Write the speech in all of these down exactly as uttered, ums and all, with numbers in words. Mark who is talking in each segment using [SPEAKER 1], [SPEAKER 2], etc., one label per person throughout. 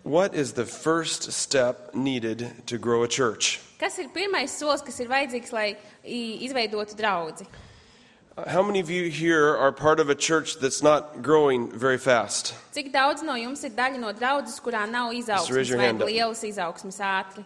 [SPEAKER 1] What is the first step needed to grow a church?
[SPEAKER 2] Kas ir pirmais solis, kas ir vajadzīgs, lai izveidotu draudzi?
[SPEAKER 1] How many of you here are part of a church that's not growing very fast?
[SPEAKER 2] Cik daudz no jums ir daļa no draudzes, kurā nav izaugsmes vai lielas izaugsmes ātri?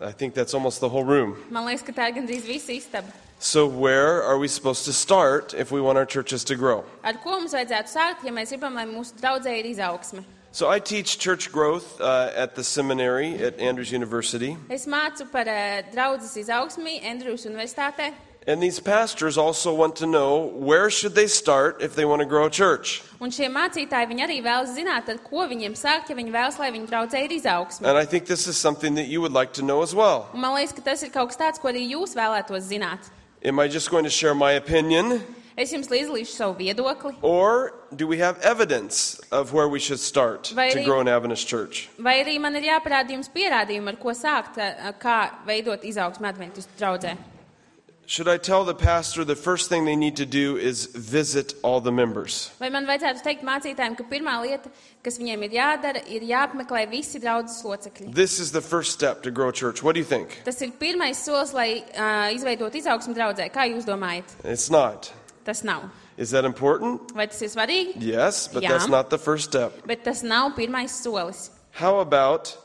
[SPEAKER 1] I think that's almost the whole room.
[SPEAKER 2] Man liekas, ka tā ir gandrīz visa istaba.
[SPEAKER 1] So where are we supposed to start if we want our churches to grow?
[SPEAKER 2] Ar ko mums vajadzētu sākt, ja mēs gribam, lai mūsu draudzē ir izaugsme?
[SPEAKER 1] So I teach church growth uh, at the seminary at Andrews University.
[SPEAKER 2] Es mācu par uh, draudzes izaugsmi Andrews Universitātē.
[SPEAKER 1] And these pastors also want to know where should they start if they want to grow a church.
[SPEAKER 2] Un šie mācītāji, viņi arī vēlas zināt, ar ko viņiem sākt, ja viņi vēlas, lai viņu draudzē ir izaugsme.
[SPEAKER 1] And I think this is something that you would like to know as well.
[SPEAKER 2] Un man liekas, ka tas ir kaut kas tāds, ko arī jūs vēlētos zināt.
[SPEAKER 1] Am I just going to share my opinion?
[SPEAKER 2] Es jums līdzdalīšu savu viedokli.
[SPEAKER 1] Or do we have evidence of where we should start
[SPEAKER 2] Vai
[SPEAKER 1] to
[SPEAKER 2] arī-
[SPEAKER 1] grow an Adventist church?
[SPEAKER 2] Vai arī man ir jāparāda jums pierādījumi, ar ko sākt, uh, kā veidot izaugsmi adventistu draudzē?
[SPEAKER 1] Should I tell the pastor the first thing they need to do is visit all the members?
[SPEAKER 2] Vai man vajadzētu teikt mācītājiem, ka pirmā lieta, kas viņiem ir jādara, ir jāapmeklē visi draudzes locekļi?
[SPEAKER 1] This is the first step to grow a church. What do you think?
[SPEAKER 2] Tas ir pirmais solis, lai uh, izveidot izaugsmi draudzē. Kā jūs domājat?
[SPEAKER 1] It's not.
[SPEAKER 2] Tas nav.
[SPEAKER 1] Is that important?
[SPEAKER 2] Vai tas ir svarīgi?
[SPEAKER 1] Yes, but
[SPEAKER 2] Jā.
[SPEAKER 1] that's not the first step.
[SPEAKER 2] Bet tas nav pirmais solis.
[SPEAKER 1] How about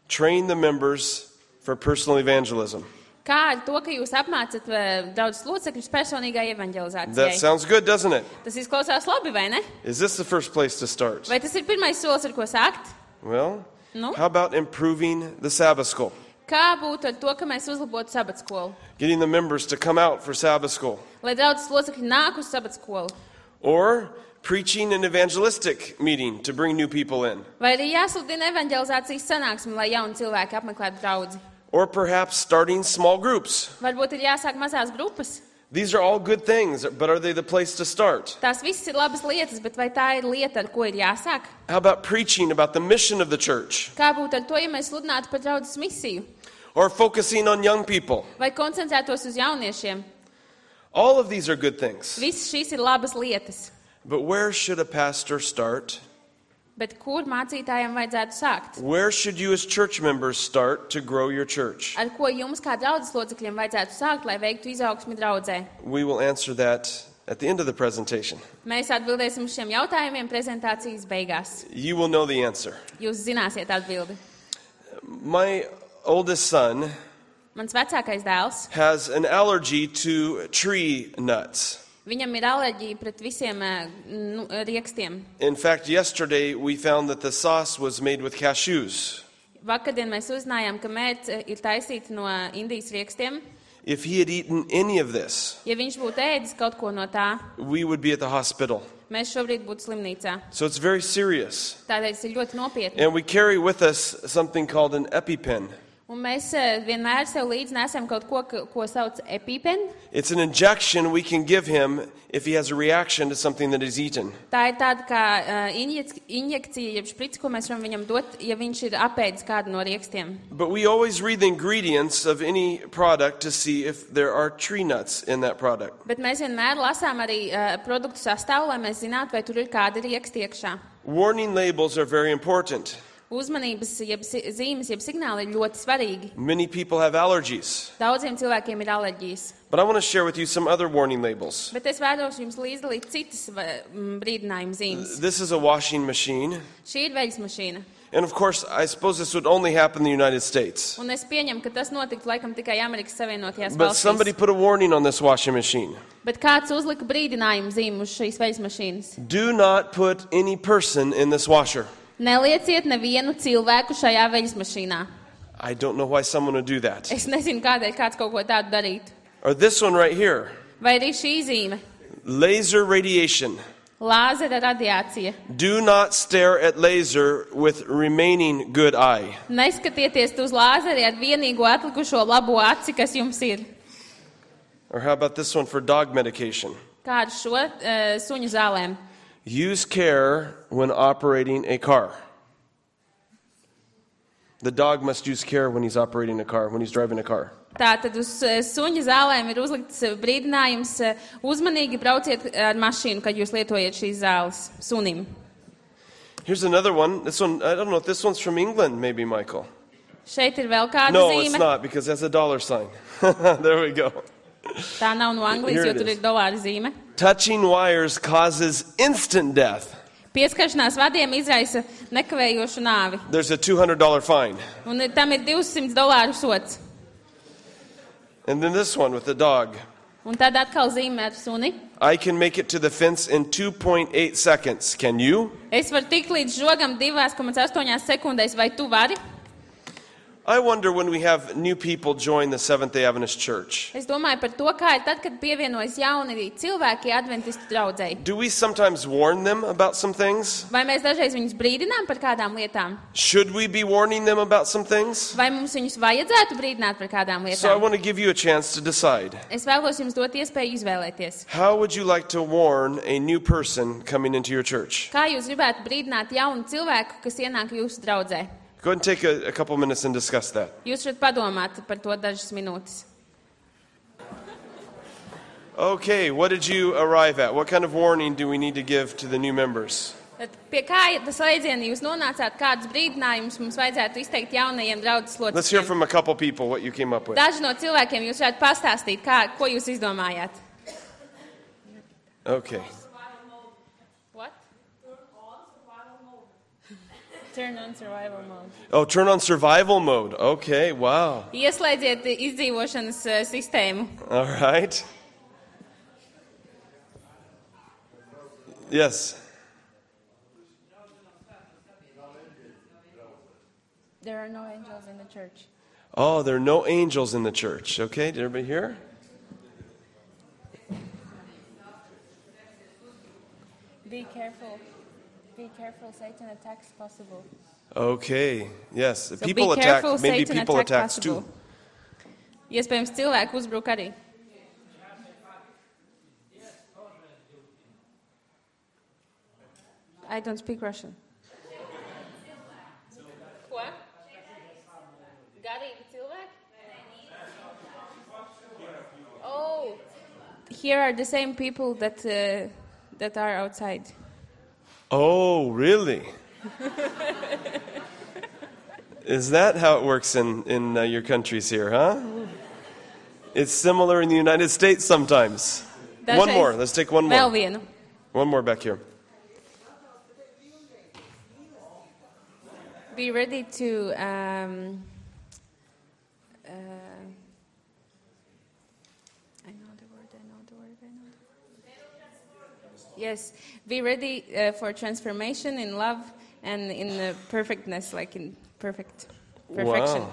[SPEAKER 1] train the members for personal evangelism?
[SPEAKER 2] Kā ar to, ka jūs apmācat uh, draudzes locekļus personīgai
[SPEAKER 1] That
[SPEAKER 2] evanģelizācijai?
[SPEAKER 1] sounds good, doesn't it?
[SPEAKER 2] Tas izklausās labi, vai ne?
[SPEAKER 1] Is this the first place to start?
[SPEAKER 2] Vai tas ir pirmais solis, ar ko sākt?
[SPEAKER 1] Well,
[SPEAKER 2] Nu?
[SPEAKER 1] how about improving the Sabbath school?
[SPEAKER 2] Kā būtu ar to, ka mēs uzlabotu sabatskolu?
[SPEAKER 1] Getting the members to come out for Sabbath school.
[SPEAKER 2] Lai draudzes locekļi nāk uz sabatskolu?
[SPEAKER 1] Or preaching an evangelistic meeting to bring new people in.
[SPEAKER 2] Vai arī jāsludina evanģelizācijas sanāksme, lai jauni cilvēki apmeklētu draudzi?
[SPEAKER 1] Or perhaps starting small groups.
[SPEAKER 2] Varbūt ir jāsāk mazās grupas?
[SPEAKER 1] These are all good things, but are they the place to start?
[SPEAKER 2] Tās visas ir labas lietas, bet vai tā ir lieta, ar ko ir jāsāk?
[SPEAKER 1] How about preaching about the mission of the church?
[SPEAKER 2] Kā būtu ar to, ja mēs sludinātu par draudzes misiju?
[SPEAKER 1] Or focusing on young people?
[SPEAKER 2] Vai koncentrētos uz jauniešiem?
[SPEAKER 1] All of these are good things.
[SPEAKER 2] Visas šīs ir labas lietas.
[SPEAKER 1] But where should a pastor start?
[SPEAKER 2] Bet kur mācītājiem vajadzētu sākt?
[SPEAKER 1] Where should you as church members start to grow your church?
[SPEAKER 2] Ar ko jums kā draudzes locekļiem vajadzētu sākt, lai veiktu izaugsmi draudzē?
[SPEAKER 1] We will answer that at the end of the presentation.
[SPEAKER 2] Mēs atbildēsim uz šiem jautājumiem prezentācijas beigās.
[SPEAKER 1] You will know the answer.
[SPEAKER 2] Jūs zināsiet atbildi.
[SPEAKER 1] My oldest son
[SPEAKER 2] Mans vecākais dēls,
[SPEAKER 1] has an allergy to tree nuts.
[SPEAKER 2] viņam ir alerģija pret visiem eh, nu, riekstiem.
[SPEAKER 1] In fact, yesterday we found that the sauce was made with cashews.
[SPEAKER 2] Vakardien mēs uzzinājām, ka mērce ir taisīta no Indijas riekstiem.
[SPEAKER 1] If he had eaten any of this,
[SPEAKER 2] Ja viņš būtu ēdis kaut ko no tā,
[SPEAKER 1] we would be at the hospital.
[SPEAKER 2] mēs šobrīd būtu slimnīcā.
[SPEAKER 1] So it's very serious.
[SPEAKER 2] Tādēļ tas ir ļoti nopietni.
[SPEAKER 1] And we carry with us something called an EpiPen.
[SPEAKER 2] Un mēs eh, vienmēr sev līdzi nesam kaut ko, ka- ko sauc EpiPen.
[SPEAKER 1] It's an injection we can give him if he has a reaction to something that he's eaten.
[SPEAKER 2] Tā ir tāda kā uh, injek injekcija, jeb šprici, ko mēs varam viņam dot, ja viņš ir apēdis kādu no riekstiem.
[SPEAKER 1] But we always read the ingredients of any product to see if there are tree nuts in that product.
[SPEAKER 2] Bet mēs vienmēr lasām arī uh, produktu sastāvu, lai mēs zinātu, vai tur ir kādi rieksti iekšā.
[SPEAKER 1] Warning labels are very important.
[SPEAKER 2] Uzmanības, jeb si- zīmes, jeb signāli ir ļoti svarīgi.
[SPEAKER 1] Many people have allergies.
[SPEAKER 2] Daudziem cilvēkiem ir alerģijas.
[SPEAKER 1] But I want to share with you some other warning labels.
[SPEAKER 2] Bet es vēlos jums līdzdalīt citas va- m, brīdinājuma zīmes.
[SPEAKER 1] This is a washing machine.
[SPEAKER 2] Šī ir veļas mašīna.
[SPEAKER 1] And of course, I suppose this would only happen in the United States.
[SPEAKER 2] Un es pieņemu, ka tas notiktu laikam tikai Amerikas Savienotajās
[SPEAKER 1] But somebody
[SPEAKER 2] valstīs.
[SPEAKER 1] put a warning on this washing machine.
[SPEAKER 2] Bet kāds uzlika brīdinājumu zīmu uz šīs veļas mašīnas?
[SPEAKER 1] Do not put any person in this washer.
[SPEAKER 2] Nelieciet nevienu cilvēku šajā veļas mašīnā.
[SPEAKER 1] I don't know why someone would do that.
[SPEAKER 2] Es nezinu, kādēļ kāds kaut ko tādu darītu.
[SPEAKER 1] Or this one right here.
[SPEAKER 2] Vai arī šī zīme?
[SPEAKER 1] Laser radiation.
[SPEAKER 2] Lāzera radiācija.
[SPEAKER 1] Do not stare at laser with remaining good eye.
[SPEAKER 2] Neskatieties uz lāzeri ar vienīgo atlikušo labo aci, kas jums ir.
[SPEAKER 1] Or how about this one for dog medication?
[SPEAKER 2] Kā ar šo uh, suņu zālēm?
[SPEAKER 1] Use care when operating a car. The dog must use care when he's operating a car, when he's driving a car.
[SPEAKER 2] Tātad uz uh, suņu zālēm ir uzlikts uh, brīdinājums uh, uzmanīgi brauciet ar mašīnu, kad jūs lietojat šīs zāles sunim.
[SPEAKER 1] Here's another one. This one, I don't know if this one's from England, maybe, Michael.
[SPEAKER 2] Šeit ir vēl kāda
[SPEAKER 1] No,
[SPEAKER 2] zīme.
[SPEAKER 1] it's not, because it has a dollar sign. There we go.
[SPEAKER 2] Tā nav no Anglijas,
[SPEAKER 1] Here
[SPEAKER 2] jo
[SPEAKER 1] it
[SPEAKER 2] tur
[SPEAKER 1] is.
[SPEAKER 2] ir dolāra zīme.
[SPEAKER 1] Touching wires causes instant death.
[SPEAKER 2] Pieskaršanās vadiem izraisa nekavējošu nāvi.
[SPEAKER 1] There's a two hundred dollars fine.
[SPEAKER 2] Un tam ir divsimt dolāru sots.
[SPEAKER 1] And then this one with the dog.
[SPEAKER 2] Un tad atkal zīmē ar suni.
[SPEAKER 1] I can make it to the fence in two point eight seconds. Can you?
[SPEAKER 2] Es varu tikt līdz žogam divās komats astoņās sekundēs, vai tu vari?
[SPEAKER 1] I wonder when we have new people join the Seventh-day Adventist Church.
[SPEAKER 2] Es domāju par to, kā ir tad, kad pievienojas jauni cilvēki adventistu draudzei.
[SPEAKER 1] Do we sometimes warn them about some things?
[SPEAKER 2] Vai mēs dažreiz viņus brīdinām par kādām lietām?
[SPEAKER 1] Should we be warning them about some things?
[SPEAKER 2] Vai mums viņus vajadzētu brīdināt par kādām
[SPEAKER 1] So I
[SPEAKER 2] lietām?
[SPEAKER 1] want to give you a chance to decide.
[SPEAKER 2] Es vēlos jums dot iespēju izvēlēties.
[SPEAKER 1] How would you like to warn a new person coming into your church?
[SPEAKER 2] Kā jūs gribētu brīdināt jaunu cilvēku, kas ienāk jūsu draudzē?
[SPEAKER 1] Go ahead and take a, a couple minutes and discuss that.
[SPEAKER 2] Jūs varat padomāt par to dažas minūtes.
[SPEAKER 1] Okay, what did you arrive at? What kind of warning do we need to give to the new members?
[SPEAKER 2] Tad pie kā tas slēdziena jūs nonācāt, kādus brīdinājumus mums vajadzētu izteikt jaunajiem draudzes
[SPEAKER 1] Let's hear
[SPEAKER 2] locekļiem?
[SPEAKER 1] from a couple people what you came up with.
[SPEAKER 2] Daži no cilvēkiem jūs varētu pastāstīt, kā, ko jūs izdomājāt.
[SPEAKER 1] Okay.
[SPEAKER 2] What? Turn on survival mode.
[SPEAKER 1] Oh, turn on survival mode. Okay, wow.
[SPEAKER 2] Ieslēdziet izdzīvošanas uh, sistēmu.
[SPEAKER 1] All right. Yes.
[SPEAKER 2] There are no angels in the church.
[SPEAKER 1] Oh, there are no angels in the church. Okay, did everybody hear?
[SPEAKER 2] Be careful. Be careful, Satan attacks possible.
[SPEAKER 1] Okay, yes.
[SPEAKER 2] So
[SPEAKER 1] People
[SPEAKER 2] be
[SPEAKER 1] attack,
[SPEAKER 2] careful,
[SPEAKER 1] maybe
[SPEAKER 2] Satan
[SPEAKER 1] people
[SPEAKER 2] attack
[SPEAKER 1] attacks
[SPEAKER 2] possible.
[SPEAKER 1] too.
[SPEAKER 2] Iespējams, cilvēku uzbruk arī. I don't speak Russian. Ko? Garīgi cilvēki? Oh, here are the same people that uh, that are outside.
[SPEAKER 1] Oh, really? Is that how it works in, in uh, your countries here, huh? It's similar in the United States sometimes.
[SPEAKER 2] Dažreiz
[SPEAKER 1] One more. Let's take one
[SPEAKER 2] Vēl
[SPEAKER 1] more.
[SPEAKER 2] vienu.
[SPEAKER 1] One more back here.
[SPEAKER 2] Be ready to um, uh, I know the word, I know the word, I know the word. Yes, be ready uh, for transformation in love and in uh, perfectness, like in perfect perfection.
[SPEAKER 1] Wow.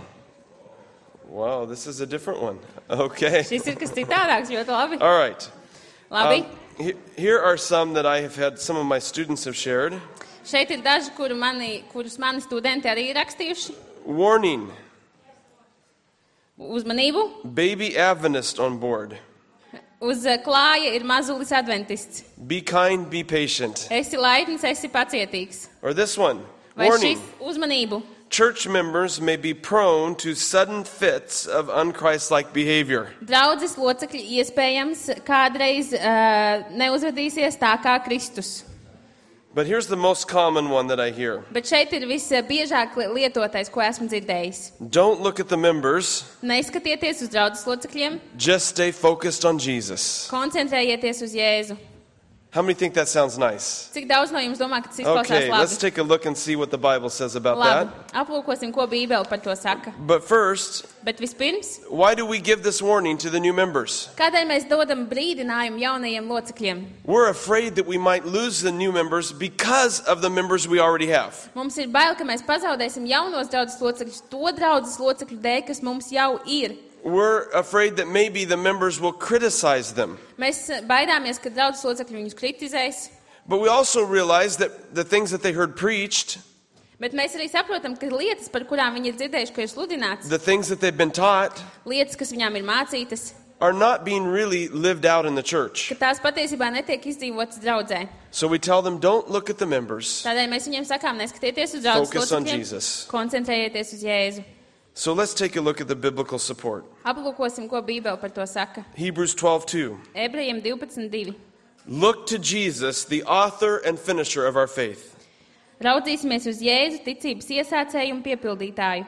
[SPEAKER 1] Wow, this is a different one. Okay.
[SPEAKER 2] Šis ir kas citādāks, ļoti labi.
[SPEAKER 1] All right.
[SPEAKER 2] Labi.
[SPEAKER 1] Um, he- here are some that I have had, some of my students have shared.
[SPEAKER 2] Šeit ir daži, kuru mani, kurus mani studenti arī ir rakstījuši.
[SPEAKER 1] Warning,
[SPEAKER 2] Uzmanību.
[SPEAKER 1] baby Adventist on board.
[SPEAKER 2] Uz uh, klāja ir mazulis adventists.
[SPEAKER 1] Be kind, be patient.
[SPEAKER 2] Esi laipns, esi pacietīgs.
[SPEAKER 1] Or this one,
[SPEAKER 2] Vai
[SPEAKER 1] warning.
[SPEAKER 2] šis uzmanību?
[SPEAKER 1] Church members may be prone to sudden fits of unchristlike behavior.
[SPEAKER 2] Draudzes locekļi iespējams kādreiz uh, neuzvedīsies tā kā Kristus.
[SPEAKER 1] But here's the most common one that I hear.
[SPEAKER 2] Bet šeit ir visbiežāk lietotais, ko esmu dzirdējis.
[SPEAKER 1] Don't look at the members,
[SPEAKER 2] Neizskatieties uz draudzes locekļiem,
[SPEAKER 1] just stay focused on Jesus.
[SPEAKER 2] koncentrējieties uz Jēzu.
[SPEAKER 1] How many think that sounds nice?
[SPEAKER 2] Cik daudz no jums domā, ka tas izklausās
[SPEAKER 1] Okay, let's
[SPEAKER 2] labi?
[SPEAKER 1] take a look and see what the Bible says about
[SPEAKER 2] Labi,
[SPEAKER 1] that.
[SPEAKER 2] aplūkosim, ko Bībele par to saka.
[SPEAKER 1] But first,
[SPEAKER 2] Bet vispirms,
[SPEAKER 1] why do we give this warning to the new members?
[SPEAKER 2] kādēļ mēs dodam brīdinājumu jaunajiem locekļiem?
[SPEAKER 1] We're afraid that we might lose the new members because of the members we already have.
[SPEAKER 2] Mums ir bail, ka mēs pazaudēsim jaunos draudzes locekļus to draudzes locekļu dēļ, kas mums jau ir.
[SPEAKER 1] We're afraid that maybe the members will criticize them.
[SPEAKER 2] Mēs baidāmies, ka draudzes locekļi viņus kritizēs.
[SPEAKER 1] But we also realize that the things that they heard preached,
[SPEAKER 2] Bet mēs arī saprotam, ka lietas, par kurām viņi ir dzirdējuši, ka ir sludināts,
[SPEAKER 1] the things that they've been taught,
[SPEAKER 2] lietas, kas viņām ir mācītas,
[SPEAKER 1] are not being really lived out in the church.
[SPEAKER 2] ka tās patiesībā netiek izdzīvotas draudzē.
[SPEAKER 1] So we tell them, don't look at the members.
[SPEAKER 2] Tādēļ mēs viņiem sakām, neskatieties uz draudzes
[SPEAKER 1] Focus on
[SPEAKER 2] locekļiem,
[SPEAKER 1] Jesus.
[SPEAKER 2] koncentrējieties uz Jēzu.
[SPEAKER 1] So let's take a look at the biblical support.
[SPEAKER 2] Aplūkosim, ko Bībele par to saka.
[SPEAKER 1] Hebrews twelve two.
[SPEAKER 2] Ebrejiem divpadsmit divi.
[SPEAKER 1] Look to Jesus, the author and finisher of our faith.
[SPEAKER 2] Raudzīsimies uz Jēzu, ticības iesācēju un piepildītāju.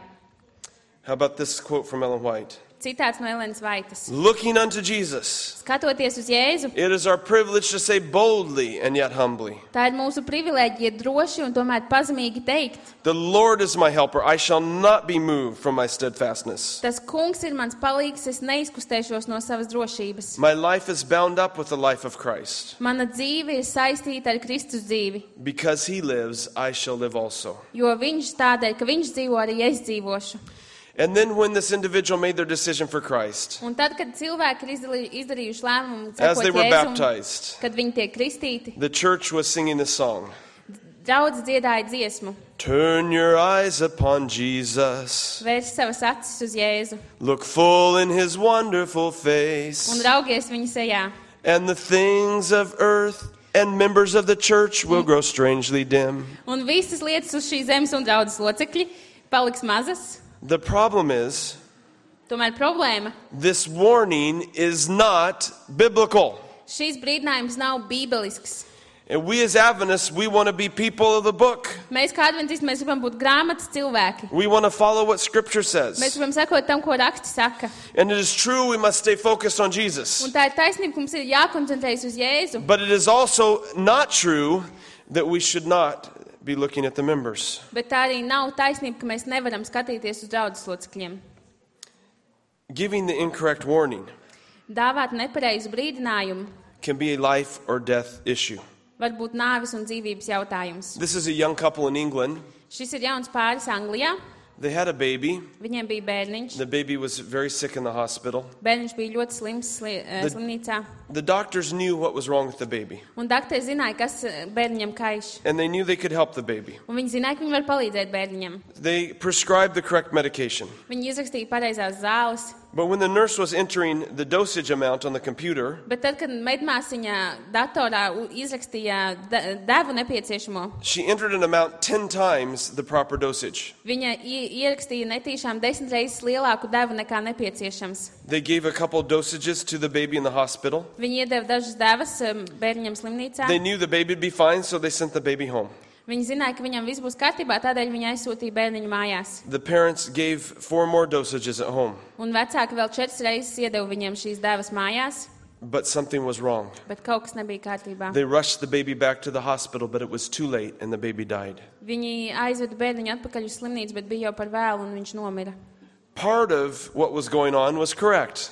[SPEAKER 1] How about this quote from Ellen White?
[SPEAKER 2] Citāts no Elenas Vaitas.
[SPEAKER 1] Looking unto Jesus,
[SPEAKER 2] Skatoties uz Jēzu,
[SPEAKER 1] it is our privilege to say boldly and yet humbly,
[SPEAKER 2] tā ir mūsu privilēģija droši un tomēr pazemīgi teikt.
[SPEAKER 1] the Lord is my helper, I shall not be moved from my steadfastness.
[SPEAKER 2] Tas kungs ir mans palīgs, es neizkustēšos no savas drošības.
[SPEAKER 1] My life is bound up with the life of Christ.
[SPEAKER 2] Mana dzīve ir saistīta ar Kristus dzīvi,
[SPEAKER 1] Because he lives, I shall live also.
[SPEAKER 2] jo viņš tādēļ, ka viņš dzīvo, arī es dzīvošu.
[SPEAKER 1] And then when this individual made their decision for Christ,
[SPEAKER 2] Un tad, kad cilvēki ir izdarī- izdarījuši lēmumu
[SPEAKER 1] as they
[SPEAKER 2] sekot
[SPEAKER 1] were
[SPEAKER 2] Jēzum,
[SPEAKER 1] baptized,
[SPEAKER 2] kad viņi tiek kristīti,
[SPEAKER 1] the church was singing this song.
[SPEAKER 2] draudz dziedāja dziesmu,
[SPEAKER 1] Turn your eyes upon Jesus.
[SPEAKER 2] vērš savas acis uz Jēzu
[SPEAKER 1] Look full in his wonderful
[SPEAKER 2] un
[SPEAKER 1] face.
[SPEAKER 2] raugies viņa sejā.
[SPEAKER 1] And the things of earth and members of the church will grow strangely dim.
[SPEAKER 2] Un visas lietas uz šīs zemes un draudzes locekļi paliks mazas.
[SPEAKER 1] The problem is,
[SPEAKER 2] Tomēr problēma.
[SPEAKER 1] this warning is not biblical.
[SPEAKER 2] Šīs brīdinājums nav bībelisks.
[SPEAKER 1] And we as Adventists, we want to be people of the book.
[SPEAKER 2] Mēs kā adventisti, mēs gribam būt grāmatas cilvēki.
[SPEAKER 1] We want to follow what Scripture
[SPEAKER 2] Mēs
[SPEAKER 1] says.
[SPEAKER 2] gribam sekot tam, ko raksti saka.
[SPEAKER 1] And it is true we must stay focused on Jesus.
[SPEAKER 2] Un tā ir taisnība, ka mums ir jākoncentrējas uz Jēzu.
[SPEAKER 1] But it is also not true that we should not be looking at the members.
[SPEAKER 2] Bet tā arī nav taisnība, ka mēs nevaram skatīties uz draudzes locekļiem.
[SPEAKER 1] Giving the incorrect warning
[SPEAKER 2] Dāvāt nepareizu brīdinājumu
[SPEAKER 1] can be a life or death issue.
[SPEAKER 2] var būt nāves un dzīvības jautājums.
[SPEAKER 1] This is a young couple in England.
[SPEAKER 2] Šis ir jauns pāris Anglijā.
[SPEAKER 1] They had a baby.
[SPEAKER 2] Viņiem bija bērniņš.
[SPEAKER 1] The baby was very sick in the hospital.
[SPEAKER 2] Bērniņš bija ļoti slims sli, eh,
[SPEAKER 1] The-
[SPEAKER 2] slimnīcā.
[SPEAKER 1] The doctors knew what was wrong with the baby,
[SPEAKER 2] Un doktori zināja, kas eh, bērniņam kaiš.
[SPEAKER 1] and they knew they could help the baby.
[SPEAKER 2] Un viņi zināja, ka viņi var palīdzēt bērniņam.
[SPEAKER 1] They prescribed the correct medication.
[SPEAKER 2] Viņi izrakstīja pareizās zāles.
[SPEAKER 1] But when the nurse was entering the dosage amount on the computer,
[SPEAKER 2] Bet tad, kad medmāsiņa datorā u- izrakstīja de- devu nepieciešamo,
[SPEAKER 1] she entered an amount ten times the proper dosage.
[SPEAKER 2] viņa i- ierakstīja netīšām desmit reizes lielāku devu nekā nepieciešams.
[SPEAKER 1] They gave a couple dosages to the baby in the hospital.
[SPEAKER 2] Viņi iedeva dažas devas um, bērniņam slimnīcā.
[SPEAKER 1] They knew the baby would be fine, so they sent the baby home.
[SPEAKER 2] Viņi zināja, ka viņam viss būs kārtībā, tādēļ viņi aizsūtīja bērniņu mājās.
[SPEAKER 1] The parents gave four more dosages at home,
[SPEAKER 2] Un vecāki vēl četras reizes iedeva viņiem šīs devas mājās,
[SPEAKER 1] but something was wrong.
[SPEAKER 2] bet kaut kas nebija kārtībā.
[SPEAKER 1] They rushed the baby back to the hospital, but it was too late and the baby died.
[SPEAKER 2] Viņi aizveda bērniņu atpakaļ uz slimnīcu, bet bija jau par vēlu un viņš nomira.
[SPEAKER 1] Part of what was going on was correct.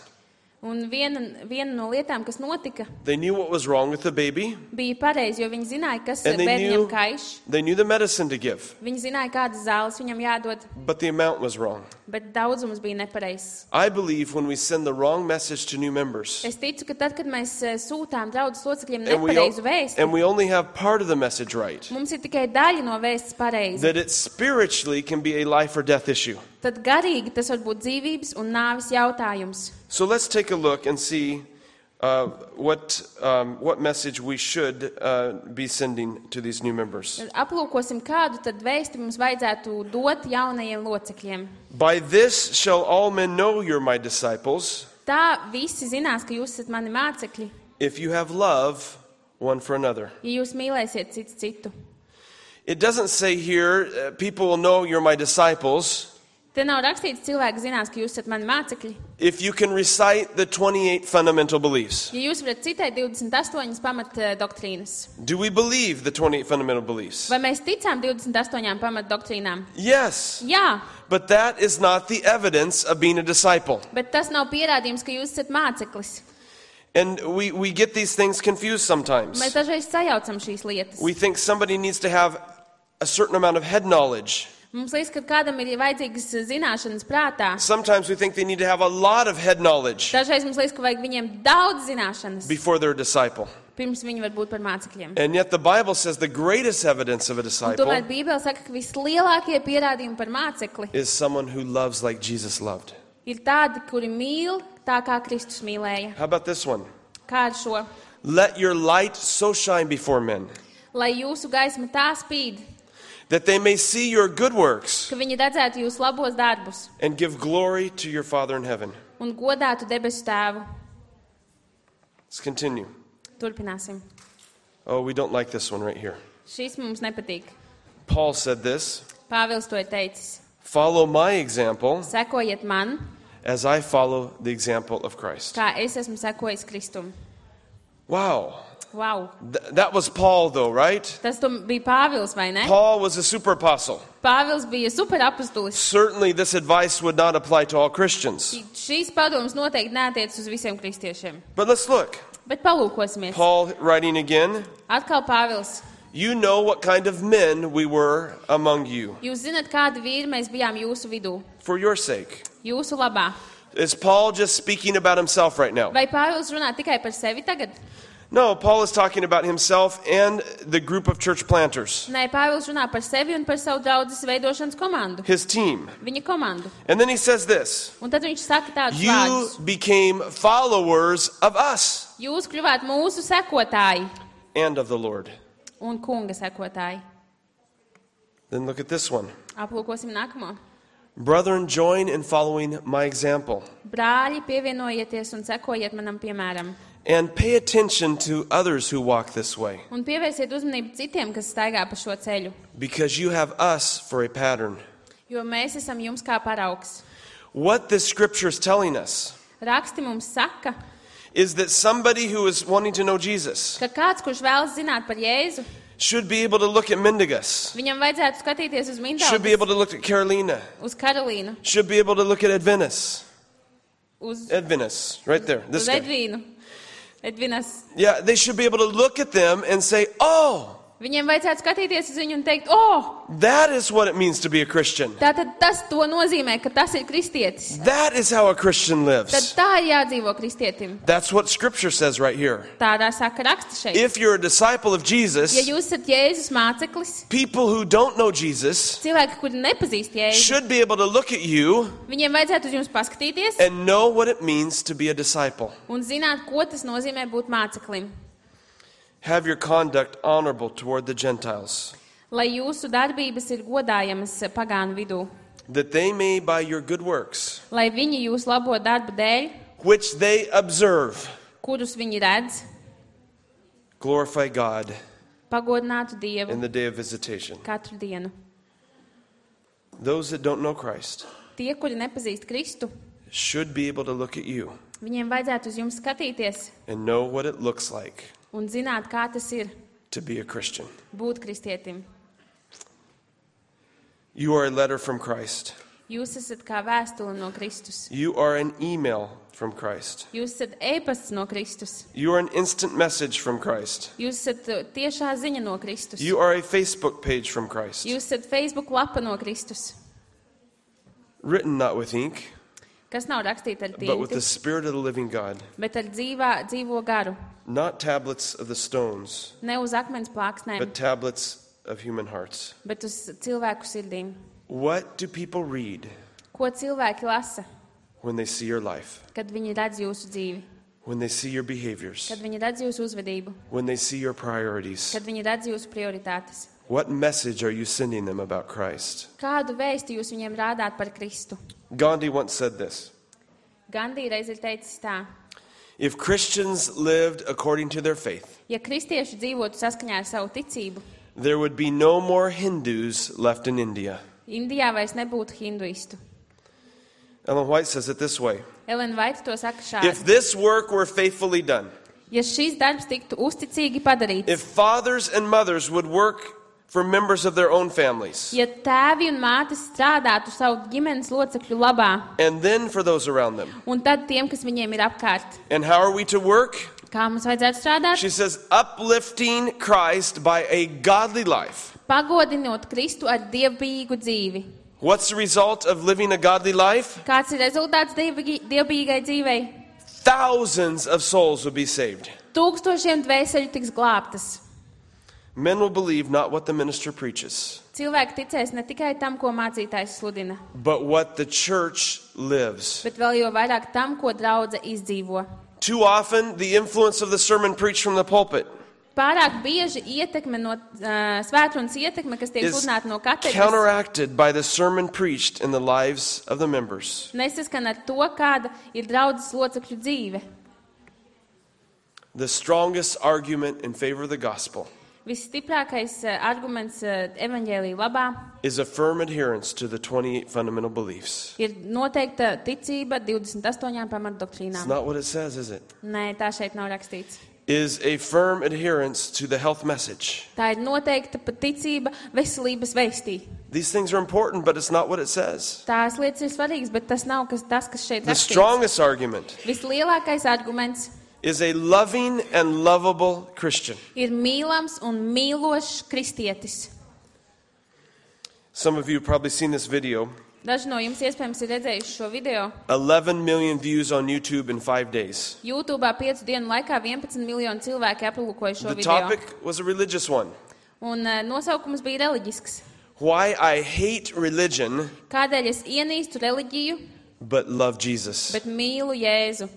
[SPEAKER 2] Un viena, viena no lietām, kas notika,
[SPEAKER 1] They knew what was wrong with the baby,
[SPEAKER 2] bija pareizi, jo viņi zināja, kas
[SPEAKER 1] and they
[SPEAKER 2] bērniņam
[SPEAKER 1] knew,
[SPEAKER 2] kaiš.
[SPEAKER 1] they knew the medicine to give,
[SPEAKER 2] Viņi zināja, kādas zāles viņam jādod,
[SPEAKER 1] but the amount was wrong.
[SPEAKER 2] bet daudzums bija nepareizs.
[SPEAKER 1] I believe when we send the wrong message to new members,
[SPEAKER 2] Es ticu, ka tad, kad mēs eh, sūtām draudzes locekļiem
[SPEAKER 1] and we,
[SPEAKER 2] nepareizu
[SPEAKER 1] o-
[SPEAKER 2] vēstu,
[SPEAKER 1] and we only have part of the message right,
[SPEAKER 2] mums ir tikai daļa no vēstas pareizi.
[SPEAKER 1] that it spiritually can be a life or death issue.
[SPEAKER 2] Tad garīgi tas var būt dzīvības un nāves jautājums.
[SPEAKER 1] So let's take a look and see uh, what, um, what message we should uh, be sending to these new members.
[SPEAKER 2] Tad aplūkosim, kādu tad vēsti mums vajadzētu dot jaunajiem locekļiem.
[SPEAKER 1] By this shall all men know you're my disciples,
[SPEAKER 2] Tā visi zinās, ka jūs esat mani mācekļi,
[SPEAKER 1] if you have love one for another.
[SPEAKER 2] ja jūs mīlēsiet cits citu.
[SPEAKER 1] It doesn't say here, uh, people will know you're my disciples,
[SPEAKER 2] Te nav rakstīts, cilvēki zinās, ka jūs esat mani mācekļi.
[SPEAKER 1] if you can recite the twenty-eight fundamental beliefs.
[SPEAKER 2] Ja jūs varat citēt divdesmit astoņas pamat eh, doktrīnas.
[SPEAKER 1] Do we believe the twenty-eight fundamental beliefs?
[SPEAKER 2] Vai mēs ticām divdesmit astoņām pamat doktrīnām?
[SPEAKER 1] Yes,
[SPEAKER 2] Jā,
[SPEAKER 1] but that is not the evidence of being a disciple.
[SPEAKER 2] bet tas nav pierādījums, ka jūs esat māceklis.
[SPEAKER 1] And we, we get these things confused sometimes.
[SPEAKER 2] Mēs dažreiz sajaucam šīs lietas.
[SPEAKER 1] We think somebody needs to have a certain amount of head knowledge.
[SPEAKER 2] Mums liekas, ka kādam ir vajadzīgas zināšanas prātā.
[SPEAKER 1] Sometimes we think they need to have a lot of head knowledge
[SPEAKER 2] Dažreiz mums liekas, ka vajag viņiem daudz zināšanas,
[SPEAKER 1] before they're a disciple.
[SPEAKER 2] pirms viņi var būt par mācekļiem.
[SPEAKER 1] And yet the Bible says the greatest evidence of a
[SPEAKER 2] Un
[SPEAKER 1] disciple
[SPEAKER 2] tomēr Bībele saka, ka vislielākie pierādījumi par mācekli
[SPEAKER 1] is someone who loves like Jesus loved.
[SPEAKER 2] ir tādi, kuri mīl tā, kā Kristus mīlēja.
[SPEAKER 1] How about this one?
[SPEAKER 2] Kā ar šo?
[SPEAKER 1] Let your light so shine before men,
[SPEAKER 2] Lai jūsu gaisma tā spīd,
[SPEAKER 1] that they may see your good works
[SPEAKER 2] ka viņi redzētu jūsu labos darbus
[SPEAKER 1] and give glory to your Father in heaven.
[SPEAKER 2] un godātu debesu tēvu.
[SPEAKER 1] Let's continue.
[SPEAKER 2] Turpināsim.
[SPEAKER 1] Oh, we don't like this one right here.
[SPEAKER 2] Šis mums nepatīk.
[SPEAKER 1] Paul said this,
[SPEAKER 2] Pāvils to ir teicis.
[SPEAKER 1] follow my example
[SPEAKER 2] Sekojiet man,
[SPEAKER 1] as I follow the example of Christ.
[SPEAKER 2] kā es esmu sekojis Kristum.
[SPEAKER 1] Wow.
[SPEAKER 2] Wow.
[SPEAKER 1] Th- that was Paul though, right?
[SPEAKER 2] Tas tu bija Pāvils, vai ne?
[SPEAKER 1] Paul was a super apostle.
[SPEAKER 2] Pāvils bija superapustulis.
[SPEAKER 1] Certainly this advice would not apply to all Christians.
[SPEAKER 2] Šīs padomas noteikti neatiec uz visiem kristiešiem.
[SPEAKER 1] But let's look.
[SPEAKER 2] Bet palūkosimies.
[SPEAKER 1] Paul writing again,
[SPEAKER 2] Atkal Pāvils.
[SPEAKER 1] you know what kind of men we were among you
[SPEAKER 2] Jūs zināt, kādi vīri mēs bijām jūsu vidū.
[SPEAKER 1] for your sake.
[SPEAKER 2] Jūsu labā.
[SPEAKER 1] Is Paul just speaking about himself right now?
[SPEAKER 2] Vai Pāvils runā tikai par sevi tagad?
[SPEAKER 1] No, Paul is talking about himself and the group of church planters,
[SPEAKER 2] Nē, Pāvils runā par sevi un par savu draudzes veidošanas komandu.
[SPEAKER 1] his team.
[SPEAKER 2] Viņa komandu.
[SPEAKER 1] And then he says this,
[SPEAKER 2] Un tad viņš saka tādus
[SPEAKER 1] you
[SPEAKER 2] vārdus.
[SPEAKER 1] became followers of us
[SPEAKER 2] Jūs kļuvāt mūsu sekotāji
[SPEAKER 1] and of the Lord.
[SPEAKER 2] un kunga sekotāji.
[SPEAKER 1] Then look at this one.
[SPEAKER 2] Aplūkosim nākamo.
[SPEAKER 1] Brethren, join in following my example
[SPEAKER 2] Brāļi, pievienojieties un sekojiet manam piemēram.
[SPEAKER 1] and pay attention to others who walk this way,
[SPEAKER 2] Un pievērsiet uzmanību citiem, kas staigā pa šo ceļu.
[SPEAKER 1] because you have us for a pattern.
[SPEAKER 2] Jo mēs esam jums kā paraugs.
[SPEAKER 1] What this scripture is telling us
[SPEAKER 2] Raksti mums saka,
[SPEAKER 1] is that somebody who is wanting to know Jesus
[SPEAKER 2] ka kāds, kurš vēlas zināt par Jēzu,
[SPEAKER 1] should be able to look at Mendigas,
[SPEAKER 2] viņam vajadzētu skatīties uz
[SPEAKER 1] should be
[SPEAKER 2] Mindaugas,
[SPEAKER 1] able to look at Carolina,
[SPEAKER 2] uz Karolīnu,
[SPEAKER 1] should be able to look at Edvinus.
[SPEAKER 2] uz,
[SPEAKER 1] Edvinus, right there. This
[SPEAKER 2] uz
[SPEAKER 1] guy.
[SPEAKER 2] Edvīnu, Edvinas.
[SPEAKER 1] Yeah, they should be able to look at them and say, oh,
[SPEAKER 2] Viņiem vajadzētu skatīties uz viņu un teikt, o,
[SPEAKER 1] that is what it means to be a Christian.
[SPEAKER 2] tātad tas to nozīmē, ka tas ir kristietis.
[SPEAKER 1] That is how a Christian
[SPEAKER 2] Tad
[SPEAKER 1] lives.
[SPEAKER 2] tā ir jādzīvo kristietim.
[SPEAKER 1] That's what scripture says right here.
[SPEAKER 2] Tādā saka raksti šeit.
[SPEAKER 1] If you're a disciple of
[SPEAKER 2] Ja
[SPEAKER 1] Jesus,
[SPEAKER 2] jūs esat Jēzus māceklis,
[SPEAKER 1] people who don't know Jesus
[SPEAKER 2] cilvēki, kuri nepazīst Jēzu,
[SPEAKER 1] should be able to look at you
[SPEAKER 2] viņiem vajadzētu uz jums paskatīties
[SPEAKER 1] and know what it means to be a disciple.
[SPEAKER 2] un zināt, ko tas nozīmē būt māceklim.
[SPEAKER 1] Have your conduct honorable toward the Gentiles,
[SPEAKER 2] Lai jūsu darbības ir godājamas pagānu vidū,
[SPEAKER 1] that they may by your good works,
[SPEAKER 2] lai viņi jūs labo darbu dēļ,
[SPEAKER 1] which they observe,
[SPEAKER 2] kurus viņi redz,
[SPEAKER 1] glorify God
[SPEAKER 2] pagodinātu Dievu
[SPEAKER 1] in the day of visitation.
[SPEAKER 2] katru dienu.
[SPEAKER 1] Those that don't know Christ
[SPEAKER 2] Tie, kuri nepazīst Kristu,
[SPEAKER 1] should be able to look at you
[SPEAKER 2] viņiem vajadzētu uz jums skatīties
[SPEAKER 1] and know what it looks like
[SPEAKER 2] un zināt, kā tas ir
[SPEAKER 1] to be a Christian.
[SPEAKER 2] būt kristietim.
[SPEAKER 1] You are a letter from Christ.
[SPEAKER 2] Jūs esat kā vēstule no Kristus.
[SPEAKER 1] You are an email from Christ.
[SPEAKER 2] Jūs esat ēpasts no Kristus.
[SPEAKER 1] You are an instant message from Christ.
[SPEAKER 2] Jūs esat uh, tiešā ziņa no Kristus.
[SPEAKER 1] You are a Facebook page from Christ.
[SPEAKER 2] Jūs esat Facebook lapa no Kristus,
[SPEAKER 1] Written not with ink,
[SPEAKER 2] kas nav rakstīta ar
[SPEAKER 1] but with the
[SPEAKER 2] tinti,
[SPEAKER 1] Spirit of the living God.
[SPEAKER 2] bet ar dzīvā, dzīvo garu.
[SPEAKER 1] Not tablets of the stones,
[SPEAKER 2] Ne uz akmens plāksnēm,
[SPEAKER 1] but tablets of human hearts.
[SPEAKER 2] bet uz cilvēku sirdīm.
[SPEAKER 1] What do people read
[SPEAKER 2] Ko cilvēki lasa,
[SPEAKER 1] when they see your life?
[SPEAKER 2] kad viņi redz jūsu dzīvi,
[SPEAKER 1] When they see your behaviors?
[SPEAKER 2] kad viņi redz jūsu uzvedību,
[SPEAKER 1] When they see your priorities?
[SPEAKER 2] kad viņi redz jūsu prioritātes?
[SPEAKER 1] What message are you sending them about Christ?
[SPEAKER 2] Kādu vēstu jūs viņiem rādāt par Kristu?
[SPEAKER 1] Gandhi once said this:
[SPEAKER 2] Gandī reiz ir teicis tā:
[SPEAKER 1] if Christians lived according to their faith,
[SPEAKER 2] ja kristieši dzīvotu saskaņā ar savu ticību,
[SPEAKER 1] there would be no more Hindus left in India.
[SPEAKER 2] Indijā vairs nebūtu hinduistu.
[SPEAKER 1] Ellen White says it this way:
[SPEAKER 2] Ellen White to saka
[SPEAKER 1] if
[SPEAKER 2] šādi:
[SPEAKER 1] this work were faithfully done,
[SPEAKER 2] ja šīs darbs tiktu uzticīgi padarīts,
[SPEAKER 1] if fathers and mothers would work for members of their own families,
[SPEAKER 2] ja tēvi un mātes strādātu savu ģimenes locekļu labā,
[SPEAKER 1] and then for those around them.
[SPEAKER 2] un tad tiem, kas viņiem ir apkārt,
[SPEAKER 1] And how are we to work?
[SPEAKER 2] kā mums vajadzētu strādāt?
[SPEAKER 1] She says, uplifting Christ by a godly life.
[SPEAKER 2] Pagodinot Kristu ar dievbijīgu dzīvi.
[SPEAKER 1] What's the result of living a godly life?
[SPEAKER 2] Kāds ir rezultāts dievbijī- dievbijīgai dzīvei?
[SPEAKER 1] Thousands of souls will be saved.
[SPEAKER 2] Tūkstošiem dvēseļu tiks glābtas.
[SPEAKER 1] Men will believe not what the minister preaches,
[SPEAKER 2] Cilvēki ticēs ne tikai tam, ko mācītājs sludina,
[SPEAKER 1] but what the church lives.
[SPEAKER 2] bet vēl jau vairāk tam, ko draudze izdzīvo.
[SPEAKER 1] Too often, the influence of the sermon preached from the pulpit
[SPEAKER 2] Pārāk bieži ietekme no uh, svētrunas ietekme, kas tiek
[SPEAKER 1] is
[SPEAKER 2] sludināta no katedras,
[SPEAKER 1] counteracted by the sermon preached in the lives of the members.
[SPEAKER 2] nesaskan ar to, kāda ir draudzes locekļu dzīve.
[SPEAKER 1] The strongest argument in favor of the gospel
[SPEAKER 2] Visstiprākais uh, arguments uh, evaņģēlija labā
[SPEAKER 1] is a firm adherence to the twenty-eight fundamental beliefs.
[SPEAKER 2] ir noteikta ticība divdesmit astoņām
[SPEAKER 1] It's
[SPEAKER 2] pamatdoktrīnām.
[SPEAKER 1] not what it says, is it?
[SPEAKER 2] Nē, tā šeit nav rakstīts.
[SPEAKER 1] Is a firm adherence to the health message.
[SPEAKER 2] Tā ir noteikta pat ticība veselības vēstī.
[SPEAKER 1] These things are important, but it's not what it says.
[SPEAKER 2] Tās lietas ir svarīgas, bet tas nav kas, tas, kas šeit
[SPEAKER 1] The
[SPEAKER 2] rakstīts.
[SPEAKER 1] strongest argument
[SPEAKER 2] Vislielākais arguments
[SPEAKER 1] is a loving and lovable Christian.
[SPEAKER 2] ir mīlams un mīlošs kristietis.
[SPEAKER 1] Some of you have probably seen this video.
[SPEAKER 2] Daži no jums iespējams ir redzējuši šo video.
[SPEAKER 1] eleven million views on YouTube in five days.
[SPEAKER 2] YouTube'ā piecu dienu laikā vienpadsmit miljoni cilvēki aplūkoja šo
[SPEAKER 1] The
[SPEAKER 2] video.
[SPEAKER 1] topic was a religious one.
[SPEAKER 2] Un uh, nosaukums bija reliģisks.
[SPEAKER 1] Why I hate religion,
[SPEAKER 2] Kādēļ es ienīstu reliģiju,
[SPEAKER 1] but love Jesus.
[SPEAKER 2] bet mīlu Jēzu?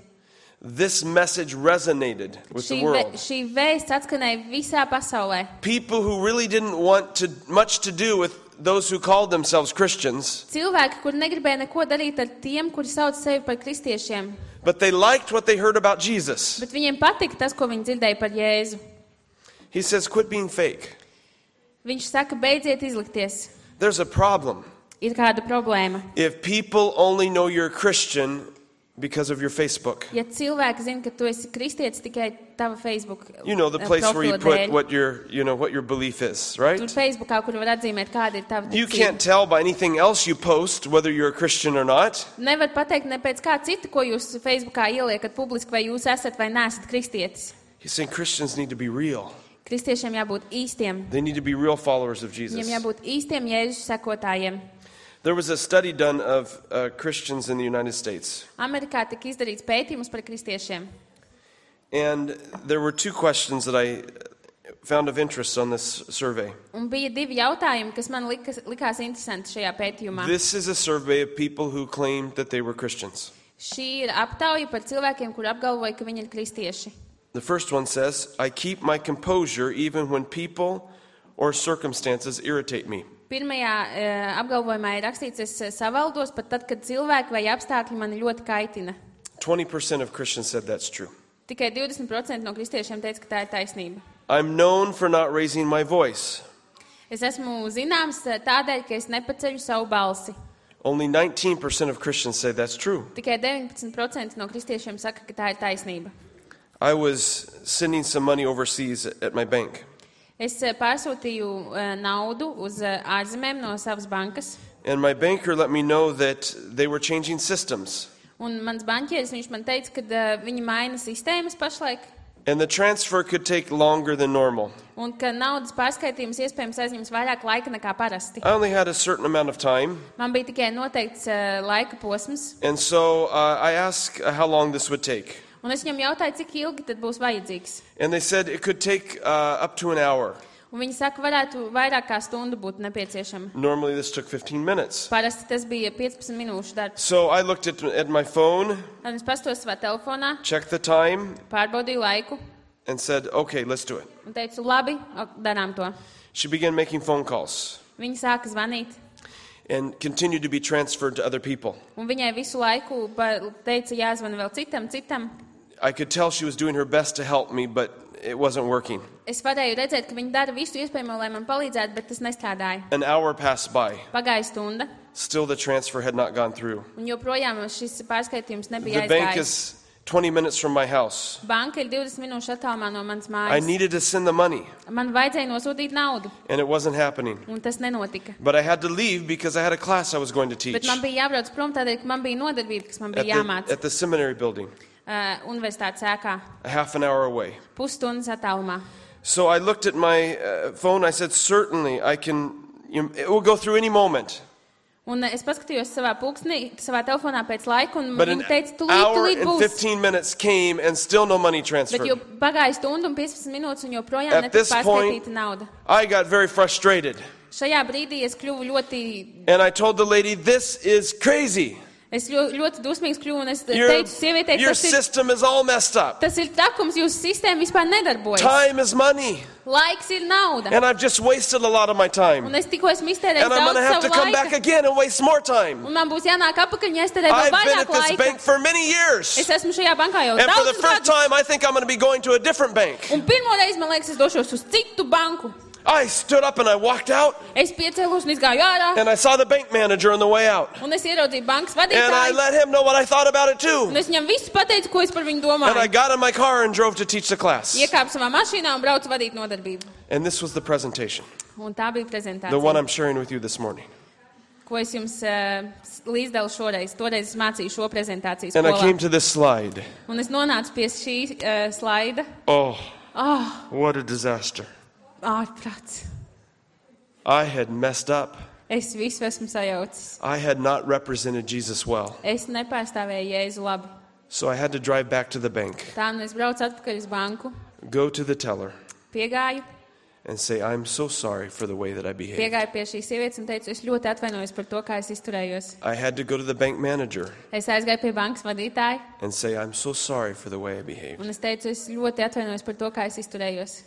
[SPEAKER 1] This message resonated with
[SPEAKER 2] Šī,
[SPEAKER 1] the
[SPEAKER 2] ve,
[SPEAKER 1] world.
[SPEAKER 2] šī vēsts atskanēja visā pasaulē.
[SPEAKER 1] People who really didn't want to, much to do with those who called themselves Christians,
[SPEAKER 2] Cilvēki, kuri negribēja neko darīt ar tiem, kuri sauc sevi par kristiešiem,
[SPEAKER 1] but they liked what they heard about Jesus.
[SPEAKER 2] bet viņiem patika tas, ko viņi dzirdēja par Jēzu.
[SPEAKER 1] He says, quit being fake.
[SPEAKER 2] Viņš saka, beidziet izlikties.
[SPEAKER 1] There's a problem.
[SPEAKER 2] Ir kāda problēma.
[SPEAKER 1] If people only know you're a Christian because of your Facebook.
[SPEAKER 2] Ja cilvēki zina, ka tu esi kristietis tikai tava Facebook
[SPEAKER 1] You know, the
[SPEAKER 2] eh,
[SPEAKER 1] place where you
[SPEAKER 2] profila
[SPEAKER 1] put
[SPEAKER 2] dēļ.
[SPEAKER 1] what your, you know, what your belief is, right?
[SPEAKER 2] Tur Facebookā, kur var atzīmēt, kāda ir tava
[SPEAKER 1] You
[SPEAKER 2] ticība.
[SPEAKER 1] can't tell by anything else you post whether you're a Christian or not.
[SPEAKER 2] Nevar pateikt ne pēc kā cita, ko jūs Facebookā ieliekat publiski, vai jūs esat vai neesat kristietis.
[SPEAKER 1] He's saying Christians need to be real.
[SPEAKER 2] Kristiešiem jābūt īstiem.
[SPEAKER 1] They need to be real followers of
[SPEAKER 2] Viņiem
[SPEAKER 1] Jesus.
[SPEAKER 2] jābūt īstiem Jēzus sekotājiem.
[SPEAKER 1] There was a study done of uh, Christians in the United States.
[SPEAKER 2] Amerikā tika izdarīts pētījums par kristiešiem.
[SPEAKER 1] And there were two questions that I found of interest on this survey.
[SPEAKER 2] Un bija divi jautājumi, kas man likas, likās interesanti šajā pētījumā.
[SPEAKER 1] This is a survey of people who claimed that they were Christians.
[SPEAKER 2] Šī ir aptauja par cilvēkiem, kur apgalvoja, ka viņi ir kristieši.
[SPEAKER 1] The first one says, I keep my composure even when people or circumstances irritate me.
[SPEAKER 2] Pirmajā e, apgalvojumā ir rakstīts, es savaldos pat tad, kad cilvēki vai apstākļi mani ļoti kaitina.
[SPEAKER 1] twenty percent of Christians said that's true.
[SPEAKER 2] Tikai divdesmit procenti no kristiešiem teica, ka tā ir taisnība.
[SPEAKER 1] I'm known for not raising my voice.
[SPEAKER 2] Es esmu zināms tādēļ, ka es nepaceļu savu balsi.
[SPEAKER 1] Only nineteen percent of Christians say that's true.
[SPEAKER 2] Tikai deviņpadsmit procenti no kristiešiem saka, ka tā ir taisnība.
[SPEAKER 1] I was sending some money overseas at my bank.
[SPEAKER 2] Es eh, pārsūtīju eh, naudu uz eh, ārzemēm no savas bankas,
[SPEAKER 1] And my banker let me know that they were changing systems.
[SPEAKER 2] un mans banķieris, viņš man teica, ka eh, viņi maina sistēmas pašlaik,
[SPEAKER 1] And the transfer could take longer than normal.
[SPEAKER 2] un ka naudas pārskaitījums iespējams aizņems vairāk laika nekā parasti.
[SPEAKER 1] I only had a certain amount of time.
[SPEAKER 2] Man bija tikai noteikts eh, laika posms,
[SPEAKER 1] And so uh, I asked uh, how long this would take.
[SPEAKER 2] un es viņam jautāju, cik ilgi tad būs vajadzīgs.
[SPEAKER 1] And they said it could take uh, up to an hour.
[SPEAKER 2] Un viņi saka, varētu vairāk kā stundu būt nepieciešama.
[SPEAKER 1] Normally this took fifteen minutes.
[SPEAKER 2] Parasti tas bija piecpadsmit minūšu darbs.
[SPEAKER 1] So I looked at, at my phone,
[SPEAKER 2] Tad es pastos savā telefonā,
[SPEAKER 1] checked the time,
[SPEAKER 2] pārbaudīju laiku
[SPEAKER 1] and said, okay, let's do it.
[SPEAKER 2] un teicu, labi, ok, darām to.
[SPEAKER 1] She began making phone calls
[SPEAKER 2] Viņa sāka zvanīt,
[SPEAKER 1] and continued to be transferred to other people.
[SPEAKER 2] un viņai visu laiku pa- teica, jāzvana vēl citam, citam.
[SPEAKER 1] I could tell she was doing her best to help me, but it wasn't working.
[SPEAKER 2] Es varēju redzēt, ka viņi dara visu iespējamo, lai man palīdzētu, bet tas nestrādāja.
[SPEAKER 1] An hour passed by.
[SPEAKER 2] Pagāja stunda,
[SPEAKER 1] Still the transfer had not gone through.
[SPEAKER 2] un joprojām šis pārskaitījums nebija
[SPEAKER 1] The bank
[SPEAKER 2] aizgājis.
[SPEAKER 1] is twenty minutes from my house.
[SPEAKER 2] Banka ir divdesmit minūšu attālumā no manas
[SPEAKER 1] I
[SPEAKER 2] mājas.
[SPEAKER 1] needed to send the money,
[SPEAKER 2] Man vajadzēja nosūtīt naudu,
[SPEAKER 1] and it wasn't happening.
[SPEAKER 2] un tas nenotika.
[SPEAKER 1] But I had to leave because I had a class I was going to teach
[SPEAKER 2] Bet man bija jābrauc prom tādēļ, ka man bija nodarbība, kas man
[SPEAKER 1] at
[SPEAKER 2] bija
[SPEAKER 1] the,
[SPEAKER 2] jāmāc
[SPEAKER 1] at the seminary building,
[SPEAKER 2] uh, universitātes ēkā,
[SPEAKER 1] a half an hour away.
[SPEAKER 2] pusstundas attālumā.
[SPEAKER 1] So I looked at my uh, phone. I said, certainly, I can, you know, it will go through any moment.
[SPEAKER 2] Un es paskatījos savā pulksnī, savā telefonā pēc laika, un
[SPEAKER 1] But an
[SPEAKER 2] viņi teica, tūlīt,
[SPEAKER 1] hour
[SPEAKER 2] tūlīt
[SPEAKER 1] and
[SPEAKER 2] būs.
[SPEAKER 1] fifteen minutes came and still no money
[SPEAKER 2] Bet
[SPEAKER 1] transferred.
[SPEAKER 2] jau pagāja stundu un piecpadsmit minūtes, un joprojām
[SPEAKER 1] At
[SPEAKER 2] netika
[SPEAKER 1] this point-
[SPEAKER 2] pārskaitīta nauda.
[SPEAKER 1] I got very frustrated.
[SPEAKER 2] Šajā brīdī es kļuvu ļoti,
[SPEAKER 1] And I told the lady, this is crazy.
[SPEAKER 2] Es ļoti, ļoti dusmīgs kļuvu, un es
[SPEAKER 1] Your,
[SPEAKER 2] teicu sievietei,
[SPEAKER 1] your
[SPEAKER 2] tas ir,
[SPEAKER 1] system is all messed up.
[SPEAKER 2] tas ir trakums, jūsu sistēma vispār nedarbojas.
[SPEAKER 1] Time is money.
[SPEAKER 2] Laiks ir nauda.
[SPEAKER 1] And I've just wasted a lot of my time.
[SPEAKER 2] Un es tikko esmu iztērējis
[SPEAKER 1] And I'm going to
[SPEAKER 2] daudz
[SPEAKER 1] have to
[SPEAKER 2] savu
[SPEAKER 1] come back
[SPEAKER 2] laiku.
[SPEAKER 1] again and waste more time.
[SPEAKER 2] Un man būs jānāk apakaļ, ja es tērēju vēl
[SPEAKER 1] I've been at
[SPEAKER 2] vairāk
[SPEAKER 1] this
[SPEAKER 2] laika.
[SPEAKER 1] bank for many years.
[SPEAKER 2] Es esmu šajā bankā jau
[SPEAKER 1] And for the
[SPEAKER 2] daudzus
[SPEAKER 1] first
[SPEAKER 2] gadus.
[SPEAKER 1] time, I think I'm going to be going to a different bank.
[SPEAKER 2] Un pirmo reizi, man liekas, es došos uz citu banku.
[SPEAKER 1] I stood up and I walked out.
[SPEAKER 2] Es piecēlos un izgāju ārā.
[SPEAKER 1] And I saw the bank manager on the way out.
[SPEAKER 2] Un es ieraudzīju bankas
[SPEAKER 1] And I
[SPEAKER 2] vadītāju.
[SPEAKER 1] let him know what I thought about it
[SPEAKER 2] Un
[SPEAKER 1] too.
[SPEAKER 2] es viņam visu pateicu, ko es par viņu
[SPEAKER 1] And I
[SPEAKER 2] domāju.
[SPEAKER 1] got in my car and drove to teach the class.
[SPEAKER 2] Iekāpu savā mašīnā un braucu vadīt nodarbību.
[SPEAKER 1] And this was the presentation,
[SPEAKER 2] Un tā bija
[SPEAKER 1] the one
[SPEAKER 2] prezentācija,
[SPEAKER 1] I'm sharing with you this morning.
[SPEAKER 2] ko es jums uh, līdzdalu šoreiz. Toreiz es mācīju šo prezentāciju
[SPEAKER 1] And I came
[SPEAKER 2] skolā.
[SPEAKER 1] to this slide.
[SPEAKER 2] Un es nonācu pie šī uh, slaida.
[SPEAKER 1] Oh,
[SPEAKER 2] Ah,
[SPEAKER 1] what a disaster.
[SPEAKER 2] ārprāts.
[SPEAKER 1] I had messed up.
[SPEAKER 2] Es visu esmu sajaucis.
[SPEAKER 1] I had not represented Jesus well.
[SPEAKER 2] Es nepārstāvēju Jēzu labi.
[SPEAKER 1] So I had to drive back to the bank,
[SPEAKER 2] Tā nu es braucu atpakaļ uz banku,
[SPEAKER 1] go to the teller,
[SPEAKER 2] piegāju,
[SPEAKER 1] and say, I'm so sorry for the way that I behaved.
[SPEAKER 2] piegāju pie šīs sievietes un teicu, es ļoti atvainojos par to, kā es izturējos.
[SPEAKER 1] I had to go to the bank manager
[SPEAKER 2] Es aizgāju pie bankas vadītāja
[SPEAKER 1] and say, I'm so sorry for the way I behaved.
[SPEAKER 2] un es teicu, es ļoti atvainojos par to, kā es izturējos.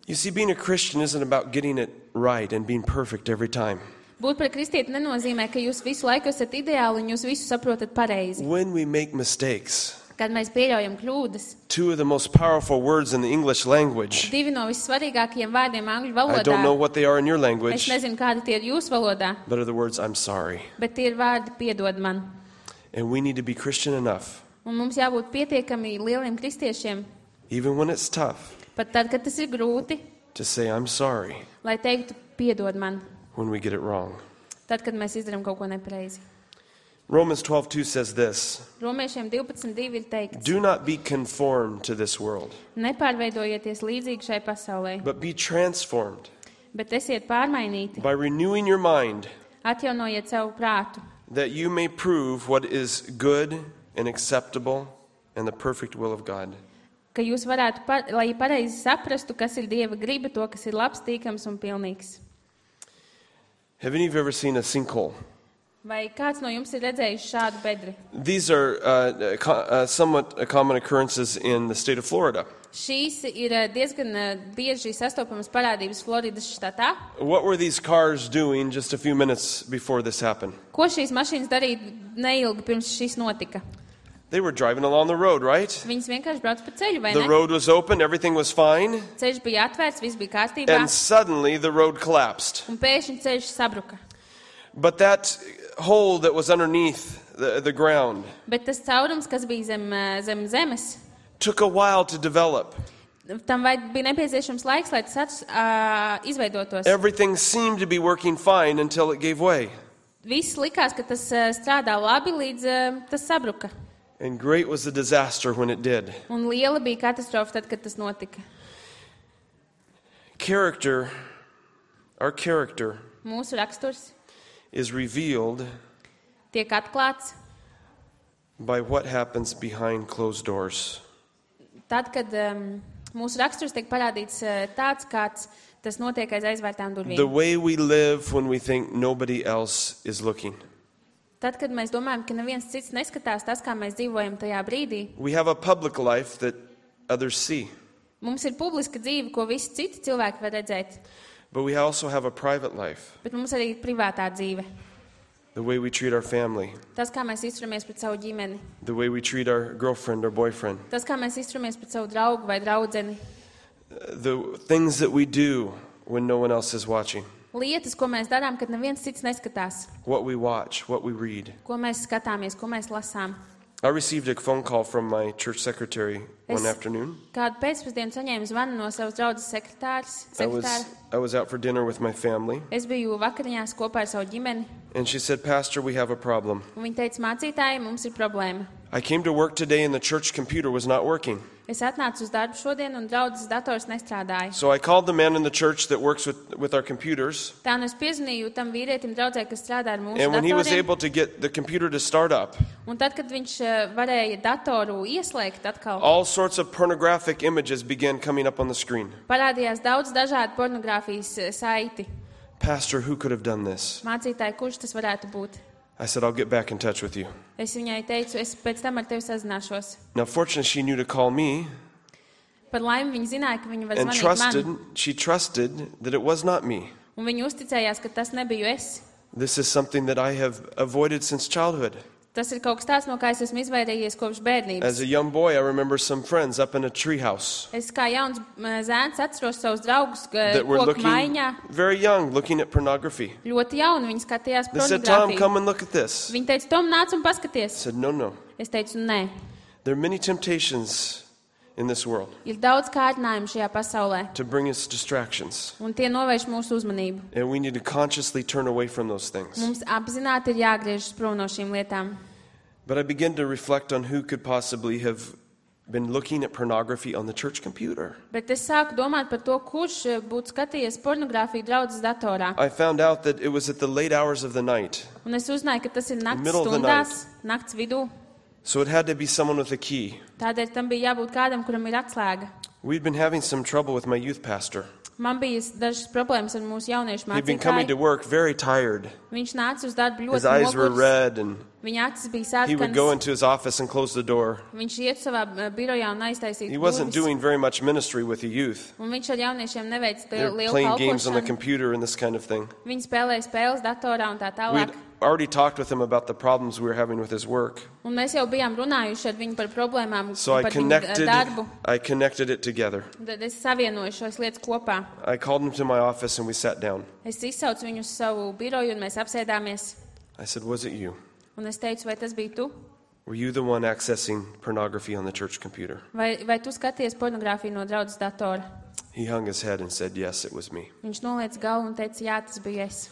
[SPEAKER 1] You see, being a Christian isn't about getting it right and being perfect every time.
[SPEAKER 2] Būt par kristieti nenozīmē, ka jūs visu laiku esat ideāli un jūs visu saprotat pareizi.
[SPEAKER 1] When we make mistakes,
[SPEAKER 2] Kad mēs pieļaujam kļūdas,
[SPEAKER 1] two of the most powerful words in the English language,
[SPEAKER 2] divi no vissvarīgākajiem vārdiem angļu
[SPEAKER 1] I don't know
[SPEAKER 2] valodā,
[SPEAKER 1] what they are in your
[SPEAKER 2] es
[SPEAKER 1] language,
[SPEAKER 2] nezinu, kādi tie ir jūsu valodā,
[SPEAKER 1] but are the words, I'm sorry.
[SPEAKER 2] bet tie ir vārdi piedod man.
[SPEAKER 1] And we need to be Christian enough,
[SPEAKER 2] Un mums jābūt pietiekami lieliem kristiešiem,
[SPEAKER 1] even when it's tough,
[SPEAKER 2] pat tad, kad tas ir grūti,
[SPEAKER 1] to say, I'm sorry
[SPEAKER 2] lai teiktu piedod man,
[SPEAKER 1] when we get it wrong.
[SPEAKER 2] tad, kad mēs izdarām kaut ko nepareizi.
[SPEAKER 1] Romans twelve two says this,
[SPEAKER 2] Romiešiem divpadsmit divi ir teikts:
[SPEAKER 1] do not be conformed to this world,
[SPEAKER 2] nepārveidojieties līdzīgi šai pasaulē,
[SPEAKER 1] but be transformed
[SPEAKER 2] bet esiet pārmainīti,
[SPEAKER 1] by renewing your mind,
[SPEAKER 2] atjaunojiet savu prātu,
[SPEAKER 1] that you may prove what is good and acceptable and the perfect will of God.
[SPEAKER 2] ka jūs varētu, par, lai pareizi saprastu, kas ir Dieva griba, to, kas ir labs, tīkams un pilnīgs.
[SPEAKER 1] Have any of you ever seen a sinkhole?
[SPEAKER 2] Vai kāds no jums ir redzējis šādu bedri?
[SPEAKER 1] These are uh, co- uh, somewhat uh, common occurrences in the state of Florida.
[SPEAKER 2] Šīs ir eh, diezgan eh, bieži sastopamas parādības Floridas štatā.
[SPEAKER 1] What were these cars doing just a few minutes before this happened?
[SPEAKER 2] Ko šīs mašīnas darīja neilgi pirms šis notika?
[SPEAKER 1] They were driving along the road, right?
[SPEAKER 2] Viņas vienkārši brauc pa ceļu, vai
[SPEAKER 1] The
[SPEAKER 2] ne?
[SPEAKER 1] road was open, everything was fine,
[SPEAKER 2] Ceļš bija atvērts, viss bija kārtībā,
[SPEAKER 1] and suddenly the road collapsed.
[SPEAKER 2] un pēkšņi ceļš sabruka.
[SPEAKER 1] But that hole that was underneath the, the ground
[SPEAKER 2] Bet tas caurums, kas bija zem, eh, zem zemes,
[SPEAKER 1] took a while to develop.
[SPEAKER 2] tam vajag, bija nepieciešams laiks, lai tas ats, uh, izveidotos.
[SPEAKER 1] Everything seemed to be working fine until it gave way.
[SPEAKER 2] Viss likās, ka tas uh, strādā labi, līdz uh, tas sabruka.
[SPEAKER 1] And great was the disaster when it did.
[SPEAKER 2] Un liela bija katastrofa tad, kad tas notika.
[SPEAKER 1] Character, our character,
[SPEAKER 2] Mūsu raksturs
[SPEAKER 1] is revealed
[SPEAKER 2] tiek atklāts
[SPEAKER 1] by what happens behind closed doors.
[SPEAKER 2] tad, kad um, mūsu raksturs tiek parādīts uh, tāds, kāds tas notiek aiz aizvērtām
[SPEAKER 1] The
[SPEAKER 2] durvīm.
[SPEAKER 1] way we live when we think nobody else is looking.
[SPEAKER 2] Tad, kad mēs domājam, ka neviens cits neskatās tas, kā mēs dzīvojam tajā brīdī,
[SPEAKER 1] We have a public life that others see,
[SPEAKER 2] mums ir publiska dzīve, ko visi citi cilvēki var redzēt,
[SPEAKER 1] but we also have a private life.
[SPEAKER 2] bet mums arī ir privātā dzīve.
[SPEAKER 1] The way we treat our family,
[SPEAKER 2] Tas, kā mēs izturamies pret savu ģimeni,
[SPEAKER 1] the way we treat our girlfriend or boyfriend,
[SPEAKER 2] tas, kā mēs izturamies pret savu draugu vai draudzeni,
[SPEAKER 1] the things that we do when no one else is watching,
[SPEAKER 2] lietas, ko mēs darām, kad neviens cits neskatās,
[SPEAKER 1] what we watch, what we read.
[SPEAKER 2] ko mēs skatāmies, ko mēs lasām.
[SPEAKER 1] I received a phone call from my church secretary one
[SPEAKER 2] Es-
[SPEAKER 1] afternoon.
[SPEAKER 2] Kādu pēcpusdienu saņēmu zvanu no savas draudzes sekretārs,
[SPEAKER 1] I was,
[SPEAKER 2] sekretāra.
[SPEAKER 1] I was out for dinner with my family,
[SPEAKER 2] Es biju vakariņās kopā ar savu ģimeni,
[SPEAKER 1] and she said, Pastor, we have a problem.
[SPEAKER 2] un viņa teica, mācītāji, mums ir problēma.
[SPEAKER 1] I came to work today and the church computer was not working.
[SPEAKER 2] Es atnācu uz darbu šodien, un draudzes dators nestrādāja.
[SPEAKER 1] So I called the man in the church that works with, with our computers,
[SPEAKER 2] Tā nu es piezvanīju tam vīrietim draudzē, kas strādā ar mūsu
[SPEAKER 1] and when he was
[SPEAKER 2] datoriem.
[SPEAKER 1] able to get the computer to start up,
[SPEAKER 2] Un tad, kad viņš eh, varēja datoru ieslēgt atkal,
[SPEAKER 1] all sorts of pornographic images began coming up on the screen.
[SPEAKER 2] parādījās daudz dažādu pornogrāfijas eh, saiti.
[SPEAKER 1] Pastor, who could have done this?
[SPEAKER 2] Mācītāji, kurš tas varētu būt?
[SPEAKER 1] I said, I'll get back in touch with you.
[SPEAKER 2] Es viņai teicu, es pēc tam ar tevi sazināšos.
[SPEAKER 1] Now, fortunately, she knew to call me
[SPEAKER 2] Par laimi viņa zināja, ka viņa var
[SPEAKER 1] and
[SPEAKER 2] zvanīt
[SPEAKER 1] trusted,
[SPEAKER 2] man.
[SPEAKER 1] she trusted that it was not me.
[SPEAKER 2] Un viņa uzticējās, ka tas nebiju es.
[SPEAKER 1] This is something that I have avoided since childhood.
[SPEAKER 2] Tas ir kaut kas tāds, no kā es esmu izvairījies kopš bērnības.
[SPEAKER 1] As a young boy, I remember some friends up in a treehouse
[SPEAKER 2] Es kā jauns m, zēns atceros savus draugus ka-
[SPEAKER 1] that were
[SPEAKER 2] koku
[SPEAKER 1] looking
[SPEAKER 2] maiņā.
[SPEAKER 1] very young, looking at pornography.
[SPEAKER 2] Ļoti jauni viņi skatījās
[SPEAKER 1] They said, Tom,
[SPEAKER 2] pornogrāfiju.
[SPEAKER 1] come and look at this.
[SPEAKER 2] Viņi teica, Tom, nāc un
[SPEAKER 1] I
[SPEAKER 2] paskaties.
[SPEAKER 1] said, no, no.
[SPEAKER 2] Es teicu, nē.
[SPEAKER 1] There are many temptations in this world
[SPEAKER 2] Ir daudz kārdinājumu šajā pasaulē,
[SPEAKER 1] to bring us distractions.
[SPEAKER 2] un tie novērš mūsu uzmanību.
[SPEAKER 1] And we need to consciously turn away from those things.
[SPEAKER 2] Mums apzināti ir jāgriežas prom no šīm lietām.
[SPEAKER 1] But I began to reflect on who could possibly have been looking at pornography on the church computer.
[SPEAKER 2] Bet es sāku domāt par to, kurš eh, būtu skatījies pornogrāfiju draudzes datorā.
[SPEAKER 1] I found out that it was at the late hours of the night.
[SPEAKER 2] Un es uzzināju, ka tas ir nakts
[SPEAKER 1] Middle of the
[SPEAKER 2] stundās, nakts vidū.
[SPEAKER 1] So it had to be someone with a key.
[SPEAKER 2] Tādēļ tam bija jābūt kādam, kuram ir atslēga.
[SPEAKER 1] We'd been having some trouble with my youth pastor.
[SPEAKER 2] Man bija dažas problēmas ar mūsu jauniešu
[SPEAKER 1] He'd been coming to
[SPEAKER 2] mācītāju.
[SPEAKER 1] work very tired.
[SPEAKER 2] Viņš nāca uz darbu
[SPEAKER 1] His
[SPEAKER 2] ļoti
[SPEAKER 1] eyes were
[SPEAKER 2] nogurs.
[SPEAKER 1] red, and
[SPEAKER 2] Viņa acis bija
[SPEAKER 1] he would go
[SPEAKER 2] sarkanas.
[SPEAKER 1] into his office and close the door.
[SPEAKER 2] Viņš iet savā eh, birojā un aiztaisīja
[SPEAKER 1] He wasn't
[SPEAKER 2] durvis.
[SPEAKER 1] doing very much ministry with the youth.
[SPEAKER 2] Un viņš ar jauniešiem neveic
[SPEAKER 1] They were
[SPEAKER 2] lielu
[SPEAKER 1] playing games on the
[SPEAKER 2] kalpošanu.
[SPEAKER 1] computer and this kind of thing.
[SPEAKER 2] Viņi spēlēja spēles datorā un tā
[SPEAKER 1] We'd
[SPEAKER 2] tālāk.
[SPEAKER 1] already talked with him about the problems we were having with his work.
[SPEAKER 2] Un mēs jau bijām runājuši ar viņu par problēmām,
[SPEAKER 1] So I
[SPEAKER 2] par viņu eh,
[SPEAKER 1] connected,
[SPEAKER 2] darbu.
[SPEAKER 1] I connected it together.
[SPEAKER 2] Un tad es savienoju šos lietas kopā.
[SPEAKER 1] I called him to my office and we sat down.
[SPEAKER 2] Es izsaucu viņu uz savu biroju un mēs apsēdāmies.
[SPEAKER 1] I said, was it you?
[SPEAKER 2] Un es teicu, vai tas bija tu?
[SPEAKER 1] Were you the one accessing pornography on the church computer?
[SPEAKER 2] Vai, vai tu skaties pornogrāfiju no draudzes datora?
[SPEAKER 1] He hung his head and said, yes, it was me.
[SPEAKER 2] Viņš noliec galvu un teica, jā, tas bija es.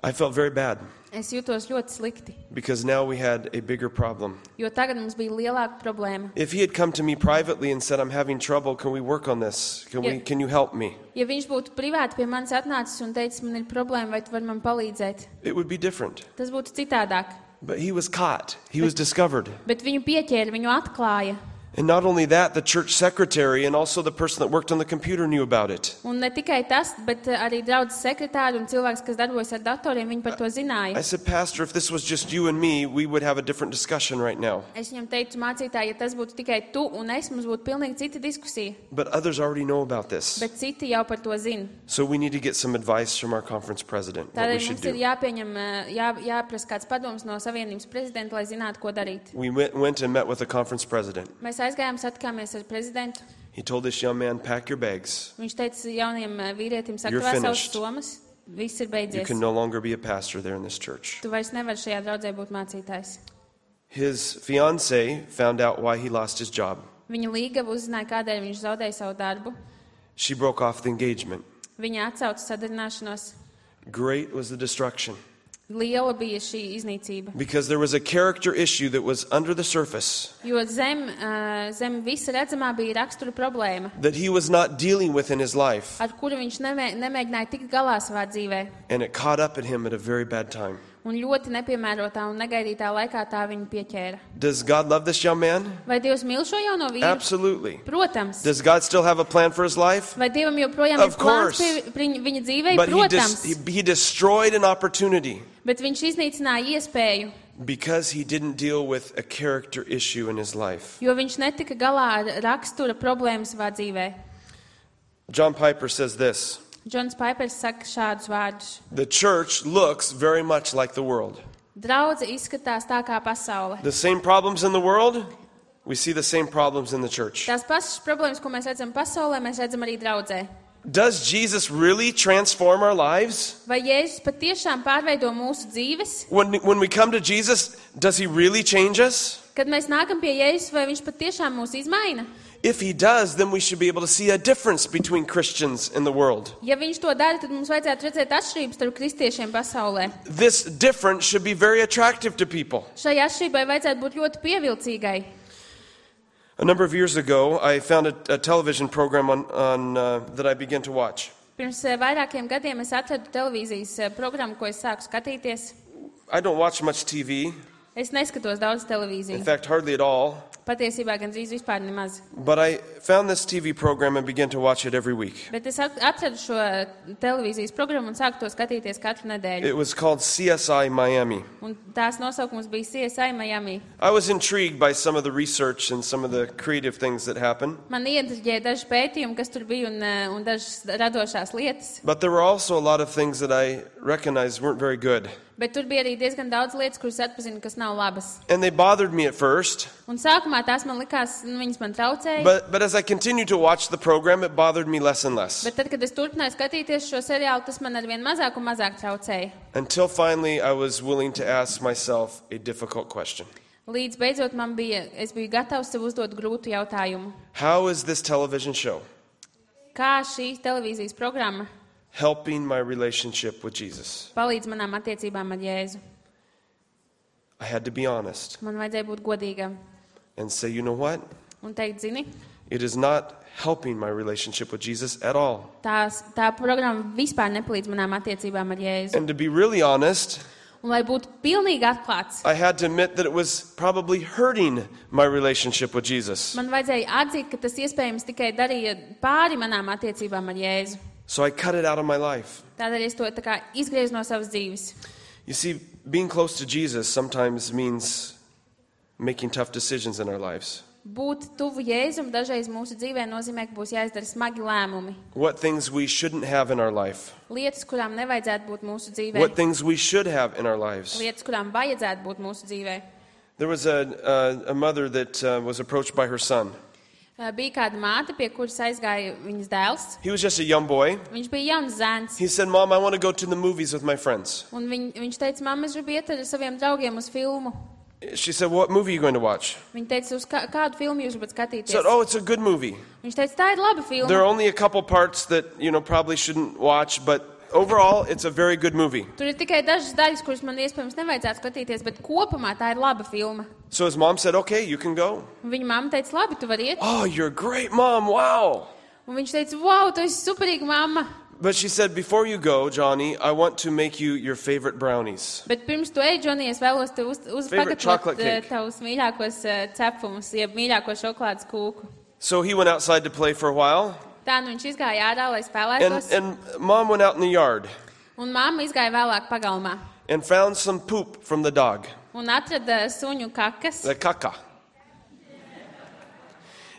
[SPEAKER 1] I felt very bad
[SPEAKER 2] Es jutos ļoti slikti,
[SPEAKER 1] because now we had a bigger problem.
[SPEAKER 2] jo tagad mums bija lielāka problēma.
[SPEAKER 1] If he had come to me privately and said, I'm having trouble, can we work on this? Can, we,
[SPEAKER 2] Yeah.
[SPEAKER 1] can you help me?
[SPEAKER 2] Ja viņš būtu privāti pie manis atnācis un teicis, man ir problēma, vai tu vari man palīdzēt,
[SPEAKER 1] It would be different.
[SPEAKER 2] tas būtu citādāk.
[SPEAKER 1] But he was caught. He was discovered.
[SPEAKER 2] Bet viņu pieķēra, viņu atklāja.
[SPEAKER 1] And not only that, the church secretary and also the person that worked on the computer knew about it.
[SPEAKER 2] Un ne tikai tas, bet uh, arī draudzes sekretāri un cilvēks, kas darbojas ar datoriem, viņi par to
[SPEAKER 1] I
[SPEAKER 2] zināja.
[SPEAKER 1] said, Pastor, if this was just you and me, we would have a different discussion right now.
[SPEAKER 2] Es viņam teicu, mācītāji, ja tas būtu tikai tu un es, mums būtu pilnīgi cita diskusija.
[SPEAKER 1] But others already know about this.
[SPEAKER 2] Bet citi jau par to zina.
[SPEAKER 1] So we need to get some advice from our conference president, what we
[SPEAKER 2] Tādēļ
[SPEAKER 1] should
[SPEAKER 2] mums ir
[SPEAKER 1] do.
[SPEAKER 2] jāpieņem, uh, jā, jāprasa kāds padoms no Savienības prezidenta, lai zinātu, ko darīt.
[SPEAKER 1] We went, went and met with the conference president.
[SPEAKER 2] Mēs aizgājām, satikāmies ar prezidentu.
[SPEAKER 1] He told this young man, pack your bags.
[SPEAKER 2] Viņš teica jauniem uh, vīrietim,
[SPEAKER 1] You're
[SPEAKER 2] sakrā savas
[SPEAKER 1] finished.
[SPEAKER 2] somas, viss ir
[SPEAKER 1] You
[SPEAKER 2] beidzies.
[SPEAKER 1] can no longer be a pastor there in this church.
[SPEAKER 2] Tu vairs nevari šajā draudzē būt mācītājs.
[SPEAKER 1] His fiancée found out why he lost his job.
[SPEAKER 2] Viņa līgava uzzināja, kādēļ viņš zaudēja savu darbu.
[SPEAKER 1] She broke off the engagement.
[SPEAKER 2] Viņa atsauca sadarināšanos.
[SPEAKER 1] Great was the destruction
[SPEAKER 2] Liela bija šī iznīcība.
[SPEAKER 1] because there was a character issue that was under the surface
[SPEAKER 2] Jo zem, uh, zem visa redzamā bija rakstura problēma,
[SPEAKER 1] that he was not dealing with in his life,
[SPEAKER 2] ar kuru viņš nemē, nemēģināja tikt galā savā dzīvē.
[SPEAKER 1] and it caught up at him at a very bad time.
[SPEAKER 2] Un ļoti nepiemērotā un negaidītā laikā tā viņu pieķēra.
[SPEAKER 1] Does God love this young man?
[SPEAKER 2] Vai Dievs mīl šo jauno vīru?
[SPEAKER 1] Absolutely.
[SPEAKER 2] Protams.
[SPEAKER 1] Does God still have a plan for his life?
[SPEAKER 2] Vai Dievam joprojām
[SPEAKER 1] Of
[SPEAKER 2] ir plāns
[SPEAKER 1] course.
[SPEAKER 2] pie, pie viņa dzīvei?
[SPEAKER 1] But he,
[SPEAKER 2] Protams.
[SPEAKER 1] dis- he, he destroyed an opportunity
[SPEAKER 2] Bet viņš iznīcināja iespēju,
[SPEAKER 1] because he didn't deal with a character issue in his life.
[SPEAKER 2] jo viņš netika galā ar rakstura problēmu savā dzīvē.
[SPEAKER 1] John Piper says this:
[SPEAKER 2] Džons Paipers saka šādus vārdus.
[SPEAKER 1] the church looks very much like the world.
[SPEAKER 2] Draudze izskatās tā kā pasaule.
[SPEAKER 1] The same problems in the world, we see the same problems in the church.
[SPEAKER 2] Tās pašas problēmas, ko mēs redzam pasaulē, mēs redzam arī draudzē.
[SPEAKER 1] Does Jesus really transform our lives?
[SPEAKER 2] Vai Jēzus patiešām pārveido mūsu dzīves?
[SPEAKER 1] When, when we come to Jesus, does he really change us?
[SPEAKER 2] Kad mēs nākam pie Jēzus, vai viņš patiešām mūs izmaina?
[SPEAKER 1] If he does, then we should be able to see a difference between Christians in the world.
[SPEAKER 2] Ja viņš to dara, tad mums vajadzētu redzēt atšķirības starp kristiešiem pasaulē.
[SPEAKER 1] This difference should be very attractive to people.
[SPEAKER 2] Šai atšķirībai vajadzētu būt ļoti pievilcīgai.
[SPEAKER 1] A number of years ago, I found a, a television program on, on, uh, that I began to watch.
[SPEAKER 2] Pirms eh, vairākiem gadiem es atradu televīzijas eh, programmu, ko es sāku skatīties.
[SPEAKER 1] I don't watch much T V.
[SPEAKER 2] Es neskatos daudz televīziju.
[SPEAKER 1] In fact, hardly at all.
[SPEAKER 2] Patiesībā gan drīz vispār nemaz.
[SPEAKER 1] But I found this T V program and began to watch it every week.
[SPEAKER 2] Bet es atradu šo televīzijas programmu un sāku to skatīties katru nedēļu.
[SPEAKER 1] It was called C S I Miami.
[SPEAKER 2] Un tās nosaukums bija C S I Miami.
[SPEAKER 1] I was intrigued by some of the research and some of the creative things that happened.
[SPEAKER 2] Man ieinteresēja daži pētījumi, kas tur bija, un, un dažas radošās lietas.
[SPEAKER 1] But there were also a lot of things that I recognized weren't very good.
[SPEAKER 2] Bet tur bija arī diezgan daudz lietas, kuras atpazinu, kas nav labas.
[SPEAKER 1] And they bothered me at first.
[SPEAKER 2] Un sākumā tās man likās, viņas man traucēja.
[SPEAKER 1] But, but as I continued to watch the program, it bothered me less and less.
[SPEAKER 2] Bet tad, kad es turpināju skatīties šo seriālu, tas man arvien mazāk un mazāk traucēja.
[SPEAKER 1] Until finally I was willing to ask myself a difficult question.
[SPEAKER 2] Līdz beidzot man bija, es biju gatavs sev uzdot grūtu jautājumu.
[SPEAKER 1] How is this television show
[SPEAKER 2] Kā šī televīzijas programma
[SPEAKER 1] helping my relationship with Jesus?
[SPEAKER 2] palīdz manām attiecībām ar Jēzu?
[SPEAKER 1] I had to be honest
[SPEAKER 2] Man vajadzēja būt godīgam
[SPEAKER 1] and say, you know what?
[SPEAKER 2] un teikt, zini,
[SPEAKER 1] It is not helping my relationship with Jesus at all.
[SPEAKER 2] tās, tā programma vispār nepalīdz manām attiecībām ar Jēzu.
[SPEAKER 1] And to be really honest,
[SPEAKER 2] Un lai būtu pilnīgi atklāts,
[SPEAKER 1] I had to admit that it was probably hurting my relationship with Jesus.
[SPEAKER 2] man vajadzēja atzīt, ka tas iespējams tikai darīja pāri manām attiecībām ar Jēzu.
[SPEAKER 1] So I cut it out of my life.
[SPEAKER 2] Tādēļ es to tā kā izgriezu no savas dzīves.
[SPEAKER 1] You see, being close to Jesus sometimes means making tough decisions in our lives.
[SPEAKER 2] Būt tuvu Jēzum dažreiz mūsu dzīvē nozīmē, ka būs jāizdara smagi lēmumi.
[SPEAKER 1] What things we shouldn't have in our life.
[SPEAKER 2] Lietas, kurām nevajadzētu būt mūsu dzīvē.
[SPEAKER 1] What things we should have in our lives.
[SPEAKER 2] Lietas, kurām vajadzētu būt mūsu dzīvē.
[SPEAKER 1] There was a, a, a mother that uh, was approached by her son.
[SPEAKER 2] Uh, Bija kāda māte, pie kuras aizgāja viņas dēls.
[SPEAKER 1] He was just a young boy.
[SPEAKER 2] Viņš bija jauns zēns.
[SPEAKER 1] He said, Mom, I want to go to the movies with my friends.
[SPEAKER 2] Un viņ, viņš teica, mamma, es gribu iet ar saviem draugiem uz filmu.
[SPEAKER 1] She said, what movie are you going to watch?
[SPEAKER 2] Viņa teica, uz kā, kādu filmu jūs gribat
[SPEAKER 1] He
[SPEAKER 2] skatīties?
[SPEAKER 1] said, oh, it's a good movie.
[SPEAKER 2] Viņš teica, tā ir laba
[SPEAKER 1] There are
[SPEAKER 2] filma.
[SPEAKER 1] only a couple parts that, you know, probably shouldn't watch, but overall, it's a very good movie.
[SPEAKER 2] Tur ir tikai dažas daļas, kuras man iespējams nevajadzētu skatīties, bet kopumā tā ir laba filma.
[SPEAKER 1] So his mom said, okay, you can go.
[SPEAKER 2] Un viņa mamma teica, labi, tu vari iet.
[SPEAKER 1] Oh, you're a great mom, wow.
[SPEAKER 2] Un viņš teica, wow, tu esi superīga mamma.
[SPEAKER 1] But she said, before you go, Johnny, I want to make you your favorite brownies.
[SPEAKER 2] Bet pirms tu ej, Džonī, es vēlos tev uz, uz
[SPEAKER 1] Favorite chocolate
[SPEAKER 2] pagatavot
[SPEAKER 1] cake.
[SPEAKER 2] tavus mīļākos uh, cepumus, jeb mīļāko šokolādes kūku.
[SPEAKER 1] So he went outside to play for a while,
[SPEAKER 2] Tā nu viņš izgāja ārā, lai
[SPEAKER 1] and,
[SPEAKER 2] spēlētos.
[SPEAKER 1] and mom went out in the yard
[SPEAKER 2] Un mamma izgāja vēlāk pagalmā.
[SPEAKER 1] and found some poop from the dog,
[SPEAKER 2] Un atrada suņu kakas.
[SPEAKER 1] the caca.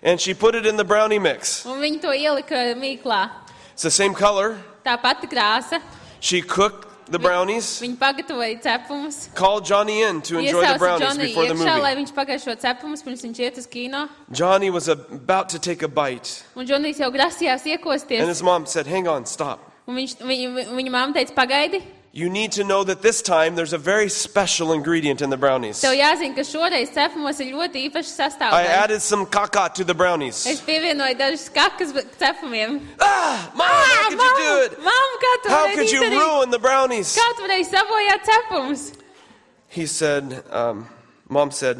[SPEAKER 1] And she put it in the brownie mix.
[SPEAKER 2] Un viņi to ielika mīklā.
[SPEAKER 1] It's the same color.
[SPEAKER 2] Tā pati krāsa.
[SPEAKER 1] She cooked the brownies,
[SPEAKER 2] Viņi pagatavoja cepumus.
[SPEAKER 1] called Johnny in to enjoy the
[SPEAKER 2] Iesauca
[SPEAKER 1] brownies
[SPEAKER 2] Džonī
[SPEAKER 1] before the
[SPEAKER 2] iekšā, lai
[SPEAKER 1] movie.
[SPEAKER 2] viņš pagāja šo cepumus, pirms viņš iet uz kino.
[SPEAKER 1] Johnny was about to take a bite,
[SPEAKER 2] Un Džonijs jau grasījās
[SPEAKER 1] and
[SPEAKER 2] iekosties.
[SPEAKER 1] his mom said, hang on, stop.
[SPEAKER 2] Un viņš, viņa, viņa mamma teica, pagaidi.
[SPEAKER 1] You need to know that this time there's a very special ingredient in the brownies.
[SPEAKER 2] Tev jāzina, ka šoreiz cepumos ir ļoti īpaši
[SPEAKER 1] I
[SPEAKER 2] sastāvdaļa.
[SPEAKER 1] added some caca to the brownies.
[SPEAKER 2] Es pievienoju dažas kakas cepumiem.
[SPEAKER 1] Ah, Mom, how could you do it?
[SPEAKER 2] Mamma, kā tu
[SPEAKER 1] How
[SPEAKER 2] varēji
[SPEAKER 1] could you
[SPEAKER 2] izdarīt?
[SPEAKER 1] ruin the brownies?
[SPEAKER 2] Kā tu varēji sabojāt cepumus?
[SPEAKER 1] He said, um, Mom said,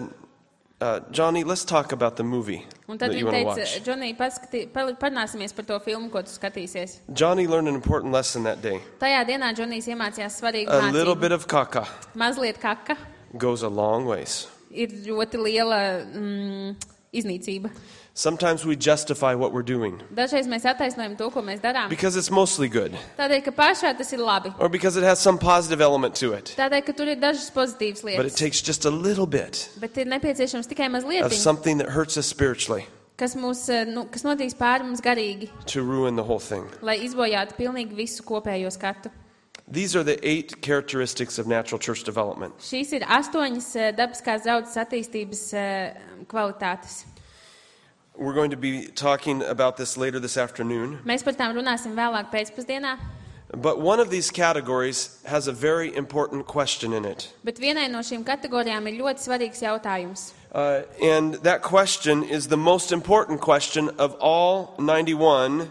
[SPEAKER 1] uh, Johnny, let's talk about the movie
[SPEAKER 2] Un tad
[SPEAKER 1] that you
[SPEAKER 2] viņa
[SPEAKER 1] want to
[SPEAKER 2] teica,
[SPEAKER 1] watch.
[SPEAKER 2] Džonī, paskatī- par- parunāsimies par to filmu, ko tu skatīsies.
[SPEAKER 1] Johnny learned an important lesson that day.
[SPEAKER 2] Tajā dienā Džonijs iemācījās svarīgu
[SPEAKER 1] A little
[SPEAKER 2] mācību.
[SPEAKER 1] bit of caca
[SPEAKER 2] Mazliet kaka
[SPEAKER 1] goes a long ways.
[SPEAKER 2] ir ļoti liela mm, iznīcība.
[SPEAKER 1] Sometimes we justify what we're doing
[SPEAKER 2] Dažreiz mēs attaisnojam to, ko mēs darām.
[SPEAKER 1] because it's mostly good
[SPEAKER 2] Tādēļ, ka pašā tas ir labi.
[SPEAKER 1] or because it has some positive element to it.
[SPEAKER 2] Tādēļ, ka tur ir dažas pozitīvas
[SPEAKER 1] But it
[SPEAKER 2] lietas.
[SPEAKER 1] takes just a little bit
[SPEAKER 2] Bet ir nepieciešams tikai mazliet,
[SPEAKER 1] of something that hurts us spiritually
[SPEAKER 2] kas, mūs, eh, nu, kas notiks pāri mums garīgi,
[SPEAKER 1] to ruin the whole thing.
[SPEAKER 2] lai izbojātu pilnīgi visu kopējo skatu.
[SPEAKER 1] These are the eight characteristics of natural church development.
[SPEAKER 2] Šīs ir astoņas eh, dabiskās draudzes attīstības eh, kvalitātes.
[SPEAKER 1] We're going to be talking about this later this afternoon.
[SPEAKER 2] Mēs par tām runāsim vēlāk pēcpusdienā,
[SPEAKER 1] But one of these categories has a very important question in it.
[SPEAKER 2] bet vienai no šīm kategorijām ir ļoti svarīgs jautājums.
[SPEAKER 1] Uh, and that question is the most important question of all ninety-one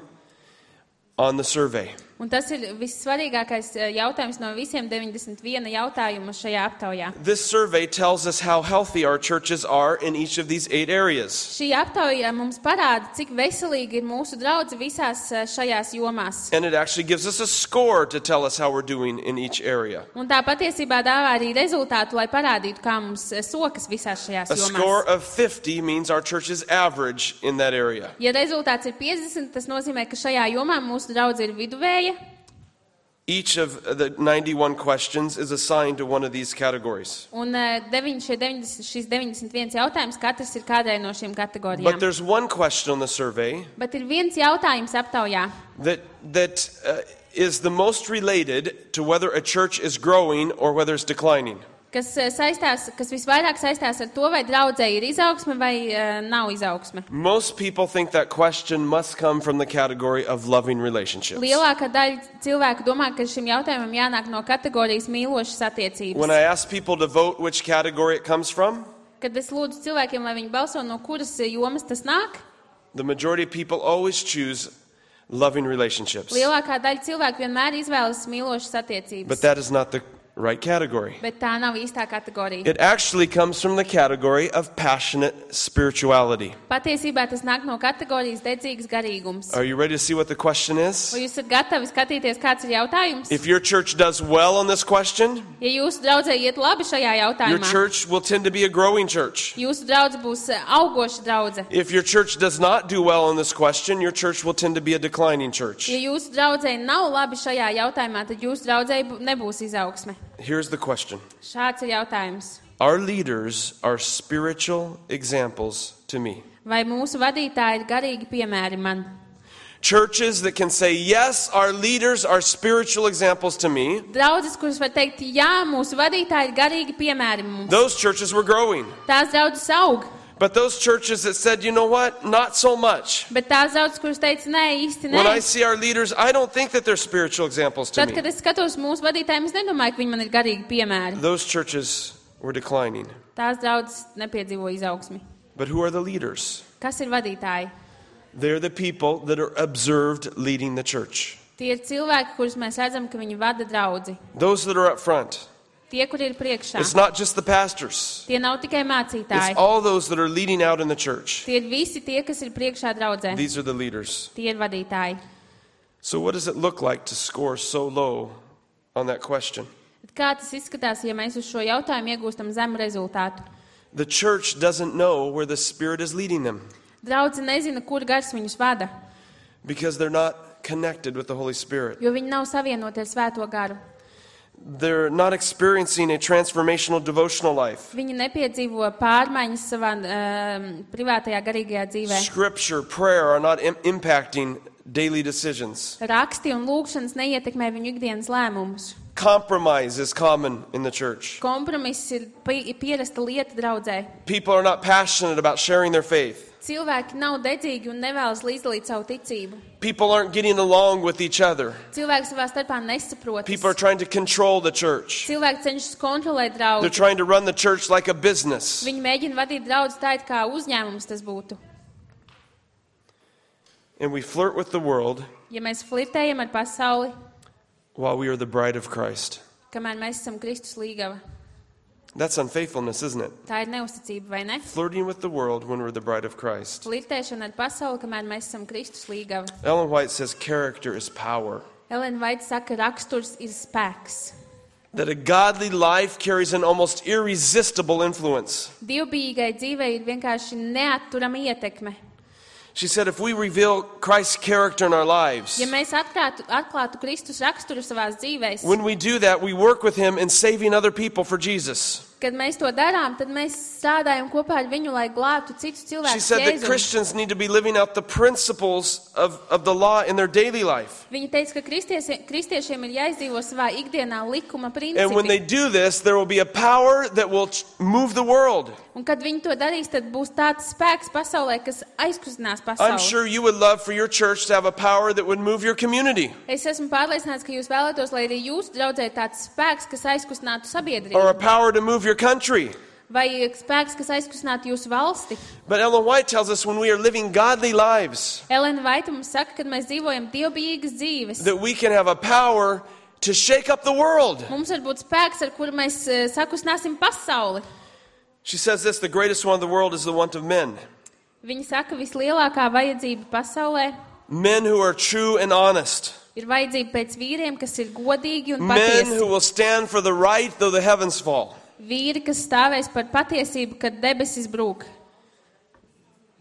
[SPEAKER 1] on the survey.
[SPEAKER 2] Un tas ir vissvarīgākais jautājums no visiem deviņdesmit viena jautājuma šajā aptaujā.
[SPEAKER 1] This survey tells us how healthy our churches are in each of these eight areas.
[SPEAKER 2] Šī aptauja mums parāda, cik veselīgi ir mūsu draudze visās šajās jomās.
[SPEAKER 1] And it actually gives us a score to tell us how we're doing in each area.
[SPEAKER 2] Un tā patiesībā dāvā arī rezultātu, lai parādītu, kā mums sokas visās šajās
[SPEAKER 1] A
[SPEAKER 2] jomās.
[SPEAKER 1] score of fifty means our church is average in that area.
[SPEAKER 2] Ja rezultāts ir piecdesmit, tas nozīmē, ka šajā jomā mūsu draudze ir viduvēja.
[SPEAKER 1] Each of the ninety-one questions is assigned to one of these categories.
[SPEAKER 2] Un deviņi, šie deviņdesmit, šis deviņdesmit viens jautājums, katrs ir kādai no šīm
[SPEAKER 1] But
[SPEAKER 2] kategorijām.
[SPEAKER 1] there's one question on the survey
[SPEAKER 2] Bet ir viens jautājums aptaujā,
[SPEAKER 1] that that uh, is the most related to whether a church is growing or whether it's declining.
[SPEAKER 2] kas saistās, kas visvairāk saistās ar to, vai draudzē ir izaugsme vai uh, nav izaugsme.
[SPEAKER 1] Most people think that question must come from the category of loving relationships.
[SPEAKER 2] Lielākā daļa cilvēku domā, ka šim jautājumam jānāk no kategorijas mīlošas attiecības.
[SPEAKER 1] When I ask people to vote which category it comes from,
[SPEAKER 2] Kad es lūdzu cilvēkiem, lai viņi balso, no kuras jomas tas nāk,
[SPEAKER 1] the majority of people always choose loving relationships.
[SPEAKER 2] lielākā daļa cilvēku vienmēr izvēlas mīlošas attiecības.
[SPEAKER 1] But that is not the right category.
[SPEAKER 2] Bet tā nav īstā kategorija.
[SPEAKER 1] It actually comes from the category of passionate spirituality.
[SPEAKER 2] Patiesībā tas nāk no kategorijas dedzīgs garīgums.
[SPEAKER 1] Are you ready to see what the question is?
[SPEAKER 2] Vai jūs esat gatavi skatīties, kāds ir jautājums?
[SPEAKER 1] If your church does well on this question,
[SPEAKER 2] Ja jūsu draudzē iet labi šajā
[SPEAKER 1] your
[SPEAKER 2] jautājumā,
[SPEAKER 1] church will tend to be a growing church.
[SPEAKER 2] jūsu draudze būs augoša draudze.
[SPEAKER 1] If your church does not do well on this question, your church will tend to be a declining church.
[SPEAKER 2] Ja jūsu draudzē nav labi šajā jautājumā, tad jūsu draudzē bu- nebūs izaugsme.
[SPEAKER 1] Here's the question.
[SPEAKER 2] Šāds ir jautājums.
[SPEAKER 1] Our leaders are spiritual examples to me.
[SPEAKER 2] Vai mūsu vadītāji ir garīgi piemēri man?
[SPEAKER 1] Churches that can say, yes, our leaders are spiritual examples to me,
[SPEAKER 2] Draudzes, kuras var teikt, jā, mūsu vadītāji ir garīgi piemēri mums.
[SPEAKER 1] those churches were growing.
[SPEAKER 2] Tās draudzes aug,
[SPEAKER 1] But those churches that said, you know what, not so much.
[SPEAKER 2] bet tās draudzes, kuras teica, nē, īsti
[SPEAKER 1] When I
[SPEAKER 2] nē.
[SPEAKER 1] see our leaders, I don't think that they're spiritual examples to
[SPEAKER 2] Tad,
[SPEAKER 1] me.
[SPEAKER 2] kad es skatos mūsu vadītājiem, es nedomāju, ka viņi man ir garīgi piemēri.
[SPEAKER 1] Those churches were declining.
[SPEAKER 2] Tās draudzes nepiedzīvo izaugsmi.
[SPEAKER 1] But who are the leaders?
[SPEAKER 2] Kas ir vadītāji?
[SPEAKER 1] They're the people that are observed leading the church.
[SPEAKER 2] Tie ir cilvēki, kurus mēs redzam, ka viņi vada draudzi.
[SPEAKER 1] Those that are up front.
[SPEAKER 2] Tie, kur ir priekšā.
[SPEAKER 1] It's not just the pastors.
[SPEAKER 2] Tie nav tikai
[SPEAKER 1] It's
[SPEAKER 2] mācītāji.
[SPEAKER 1] all those that are leading out in the church.
[SPEAKER 2] Tie ir visi tie, kas ir priekšā draudzē.
[SPEAKER 1] These are the leaders.
[SPEAKER 2] Tie ir vadītāji.
[SPEAKER 1] So what does it look like to score so low on that question?
[SPEAKER 2] Bet kā tas izskatās, ja mēs uz šo jautājumu iegūstam zemu rezultātu?
[SPEAKER 1] The church doesn't know where the Spirit is leading them
[SPEAKER 2] Draudze nezina, kur gars viņus vada,
[SPEAKER 1] because they're not connected with the Holy Spirit.
[SPEAKER 2] jo viņi nav savienoti ar svēto garu.
[SPEAKER 1] They're not experiencing a transformational devotional life.
[SPEAKER 2] Viņi nepiedzīvo pārmaiņas savā um, privātajā garīgajā dzīvē.
[SPEAKER 1] Scripture, prayer are not im- impacting daily decisions.
[SPEAKER 2] Raksti un lūgšanas neietekmē viņu ikdienas lēmumus.
[SPEAKER 1] Compromise is common in the church.
[SPEAKER 2] Kompromiss ir pi- pierasta lieta draudzē.
[SPEAKER 1] People are not passionate about sharing their faith.
[SPEAKER 2] Cilvēki nav dedzīgi un nevēlas līdzdalīt savu ticību.
[SPEAKER 1] People aren't getting along with each other.
[SPEAKER 2] Cilvēki savā starpā nesaprotas.
[SPEAKER 1] People are trying to control the church.
[SPEAKER 2] Cilvēki cenšas kontrolēt
[SPEAKER 1] They're
[SPEAKER 2] draudzi.
[SPEAKER 1] trying to run the church like a business.
[SPEAKER 2] Viņi mēģina vadīt draudzi tā, it kā uzņēmums tas būtu.
[SPEAKER 1] And we flirt with the world
[SPEAKER 2] Ja mēs flirtējam ar pasauli,
[SPEAKER 1] while we are the bride of Christ.
[SPEAKER 2] kamēr mēs esam Kristus līgava,
[SPEAKER 1] That's unfaithfulness, isn't it?
[SPEAKER 2] tā ir neusticība, vai ne?
[SPEAKER 1] Flirting with the world when we're the bride of Christ.
[SPEAKER 2] Flirtēšana ar pasauli, kamēr mēs esam Kristus līgava.
[SPEAKER 1] Ellen White says character is power.
[SPEAKER 2] Elena Vaita saka, raksturs ir spēks.
[SPEAKER 1] That a godly life carries an almost irresistible influence.
[SPEAKER 2] Dievbijīgai dzīvei ir vienkārši neatturama ietekme.
[SPEAKER 1] She said if we reveal Christ's character in our lives,
[SPEAKER 2] Ja mēs atklātu, atklātu Kristus raksturu savās dzīvēs,
[SPEAKER 1] when we do that, we work with Him in saving other people for Jesus.
[SPEAKER 2] kad mēs to darām, tad mēs strādājam kopā ar viņu, lai glābtu citus
[SPEAKER 1] She
[SPEAKER 2] cilvēkus
[SPEAKER 1] said that
[SPEAKER 2] Jēzum.
[SPEAKER 1] Christians need to be living out the principles of, of the law in their daily life.
[SPEAKER 2] Viņa teica, ka kristieši, kristiešiem ir jāizdzīvo savā ikdienā likuma
[SPEAKER 1] And when they
[SPEAKER 2] principi.
[SPEAKER 1] do this, there will be a power that will ch- move the world.
[SPEAKER 2] Un kad viņi to darīs, tad būs tāds spēks pasaulē, kas aizkustinās
[SPEAKER 1] I'm
[SPEAKER 2] pasauli.
[SPEAKER 1] sure you would love for your church to have a power that would move your community
[SPEAKER 2] Es esmu pārliecināts, ka jūs vēlētos, lai arī jūsu draudzē ir tāds spēks, kas aizkustinātu
[SPEAKER 1] or a
[SPEAKER 2] sabiedrību.
[SPEAKER 1] power to move your country.
[SPEAKER 2] Vai spēks, kas aizkustinātu jūsu valsti?
[SPEAKER 1] But Ellen White tells us when we are living godly lives,
[SPEAKER 2] Elena Vaita mums saka, ka mēs dzīvojam dievbijīgas dzīves.
[SPEAKER 1] that we can have a power to shake up the world.
[SPEAKER 2] Mums var būt spēks, ar kuru mēs uh, sakustināsim pasauli.
[SPEAKER 1] She says this, the greatest one of the world is the want of men.
[SPEAKER 2] Viņa saka, vislielākā vajadzība pasaulē
[SPEAKER 1] Men who are true and honest.
[SPEAKER 2] ir vajadzība pēc vīriem, kas ir godīgi un
[SPEAKER 1] Men
[SPEAKER 2] patiesi.
[SPEAKER 1] who will stand for the right though the heavens fall.
[SPEAKER 2] Vīri, kas stāvēs par patiesību, kad debesis brūk.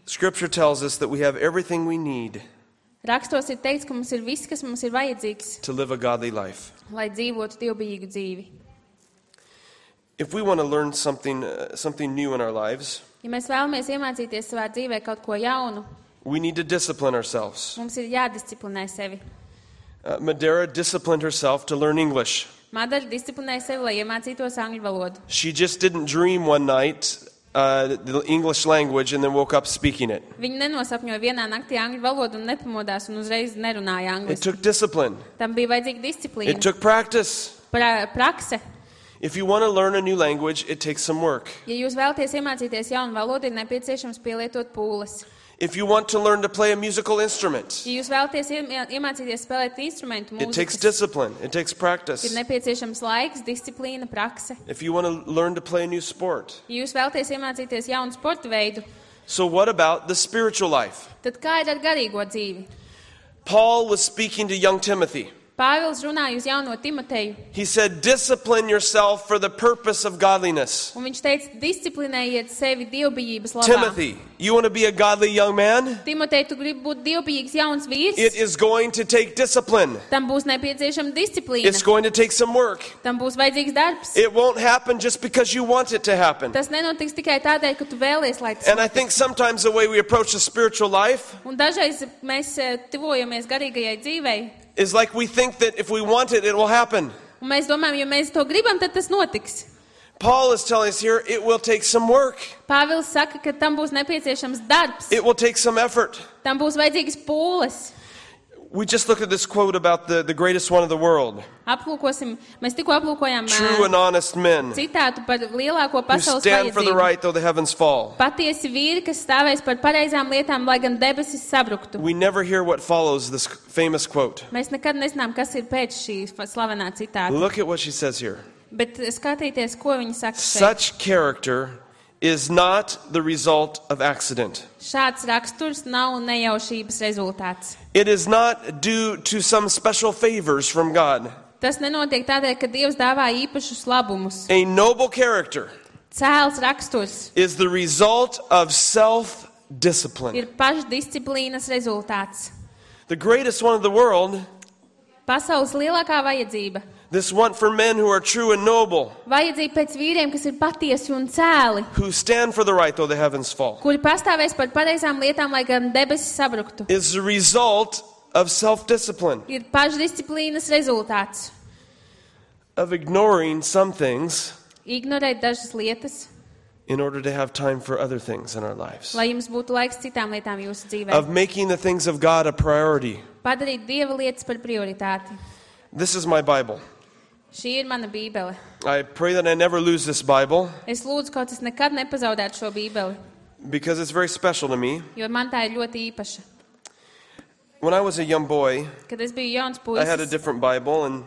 [SPEAKER 1] Scripture tells us that we have everything we need
[SPEAKER 2] Rakstos ir teikts, ka mums ir viss, kas mums ir vajadzīgs,
[SPEAKER 1] to live a godly life.
[SPEAKER 2] lai dzīvotu dievbijīgu dzīvi.
[SPEAKER 1] If we want to learn something, uh, something new in our lives,
[SPEAKER 2] Ja mēs vēlamies iemācīties savā dzīvē kaut ko jaunu,
[SPEAKER 1] we need to discipline ourselves.
[SPEAKER 2] mums ir jādisciplinē sevi.
[SPEAKER 1] Uh, Madeira disciplined herself to learn English.
[SPEAKER 2] Madara disciplinēja sevi, lai iemācītos angļu valodu.
[SPEAKER 1] She just didn't dream one night uh, the English language and then woke up speaking it.
[SPEAKER 2] Viņa nenosapņoja vienā naktī angļu valodu un nepamodās un uzreiz nerunāja
[SPEAKER 1] It
[SPEAKER 2] angliski.
[SPEAKER 1] took discipline.
[SPEAKER 2] Tam bija vajadzīga
[SPEAKER 1] It
[SPEAKER 2] disciplīna,
[SPEAKER 1] took practice.
[SPEAKER 2] pra, prakse.
[SPEAKER 1] If you want to learn a new language, it takes some work.
[SPEAKER 2] Ja jūs vēlaties iemācīties jaunu valodu, ir nepieciešams pielietot pūles.
[SPEAKER 1] If you want to learn to play a musical instrument,
[SPEAKER 2] Ja jūs vēlaties iemā- iemācīties spēlēt instrumentu
[SPEAKER 1] it takes
[SPEAKER 2] mūzikas,
[SPEAKER 1] discipline. It takes
[SPEAKER 2] ir
[SPEAKER 1] practice.
[SPEAKER 2] nepieciešams laiks, disciplīna, prakse.
[SPEAKER 1] If you want to learn to play a new sport.
[SPEAKER 2] Ja jūs vēlaties iemācīties jaunu sporta veidu,
[SPEAKER 1] So what about the spiritual life?
[SPEAKER 2] tad kā ir ar garīgo dzīvi?
[SPEAKER 1] Paul was speaking to young Timothy.
[SPEAKER 2] Pāvils runāja uz jauno Timoteju,
[SPEAKER 1] He said, discipline yourself for the purpose of godliness.
[SPEAKER 2] un viņš teica, disciplinējiet sevi dievbijības labā.
[SPEAKER 1] Timothy, you want to be a godly young man?
[SPEAKER 2] Timotej, tu gribi būt dievbijīgs jauns vīrs?
[SPEAKER 1] It is going to take discipline.
[SPEAKER 2] Tam būs nepieciešama disciplīna.
[SPEAKER 1] It's going to take some work.
[SPEAKER 2] Tam būs vajadzīgs darbs.
[SPEAKER 1] It won't happen just because you want it to happen.
[SPEAKER 2] Tas nenotiks tikai tādēļ, ka tu vēlies, lai tas
[SPEAKER 1] And I
[SPEAKER 2] notiks.
[SPEAKER 1] think sometimes the way we approach the spiritual life
[SPEAKER 2] Un dažreiz mēs eh, tuvojamies garīgajai dzīvei,
[SPEAKER 1] is like we think that if we want it, it will happen.
[SPEAKER 2] un mēs domājam, ja mēs to gribam, tad tas notiks.
[SPEAKER 1] Paul is telling us here, it will take some work.
[SPEAKER 2] Pāvils saka, ka tam būs nepieciešams darbs,
[SPEAKER 1] It will take some effort.
[SPEAKER 2] tam būs vajadzīgas pūles.
[SPEAKER 1] We just looked at this quote about the, the greatest one of the world.
[SPEAKER 2] Aplūkosim, mēs tikko aplūkojām
[SPEAKER 1] True and
[SPEAKER 2] eh,
[SPEAKER 1] honest men
[SPEAKER 2] citātu par lielāko
[SPEAKER 1] who
[SPEAKER 2] pasaules
[SPEAKER 1] stand for the
[SPEAKER 2] vajadzību.
[SPEAKER 1] right though the heavens fall.
[SPEAKER 2] Patiesi vīri, kas stāvēs par pareizām lietām, lai gan debesis sabruktu.
[SPEAKER 1] We never hear what follows this famous quote.
[SPEAKER 2] Mēs nekad nezinām, kas ir pēc šī slavenā citāta.
[SPEAKER 1] Look at what she says here.
[SPEAKER 2] Bet skatīties, ko viņi saka šeit.
[SPEAKER 1] Such character is not the result of accident.
[SPEAKER 2] Šāds raksturs nav nejaušības rezultāts.
[SPEAKER 1] It is not due to some special favors from God.
[SPEAKER 2] Tas nenotiek tādēļ, ka Dievs dāvā īpašus labumus.
[SPEAKER 1] A noble character
[SPEAKER 2] Cēls raksturs
[SPEAKER 1] is the result of self-discipline.
[SPEAKER 2] ir pašdisciplīnas rezultāts.
[SPEAKER 1] The greatest one of the world,
[SPEAKER 2] Pasaules lielākā vajadzība.
[SPEAKER 1] this want for men who are true and noble,
[SPEAKER 2] Vajadzība pēc vīriem, kas ir patiesi un cēli,
[SPEAKER 1] who stand for the right though the heavens fall,
[SPEAKER 2] kuri pastāvēs par pareizām lietām, lai gan debesis sabruktu.
[SPEAKER 1] is the result of self-discipline,
[SPEAKER 2] Ir pašdisciplīnas rezultāts.
[SPEAKER 1] of ignoring some things
[SPEAKER 2] Ignorēt dažas lietas,
[SPEAKER 1] in order to have time for other things in our lives,
[SPEAKER 2] lai jums būtu laiks citām lietām jūsu dzīvē.
[SPEAKER 1] of making the things of God a priority.
[SPEAKER 2] Padarīt Dieva lietas par prioritāti.
[SPEAKER 1] This is my Bible.
[SPEAKER 2] Šī ir mana bībele.
[SPEAKER 1] I pray that I never lose this Bible
[SPEAKER 2] Es lūdzu, kaut es nekad nepazaudētu šo bībeli,
[SPEAKER 1] because it's very special to me.
[SPEAKER 2] jo man tā ir ļoti īpaša.
[SPEAKER 1] When I was a young boy,
[SPEAKER 2] Kad es biju jauns
[SPEAKER 1] I had a
[SPEAKER 2] puisis,
[SPEAKER 1] different Bible, and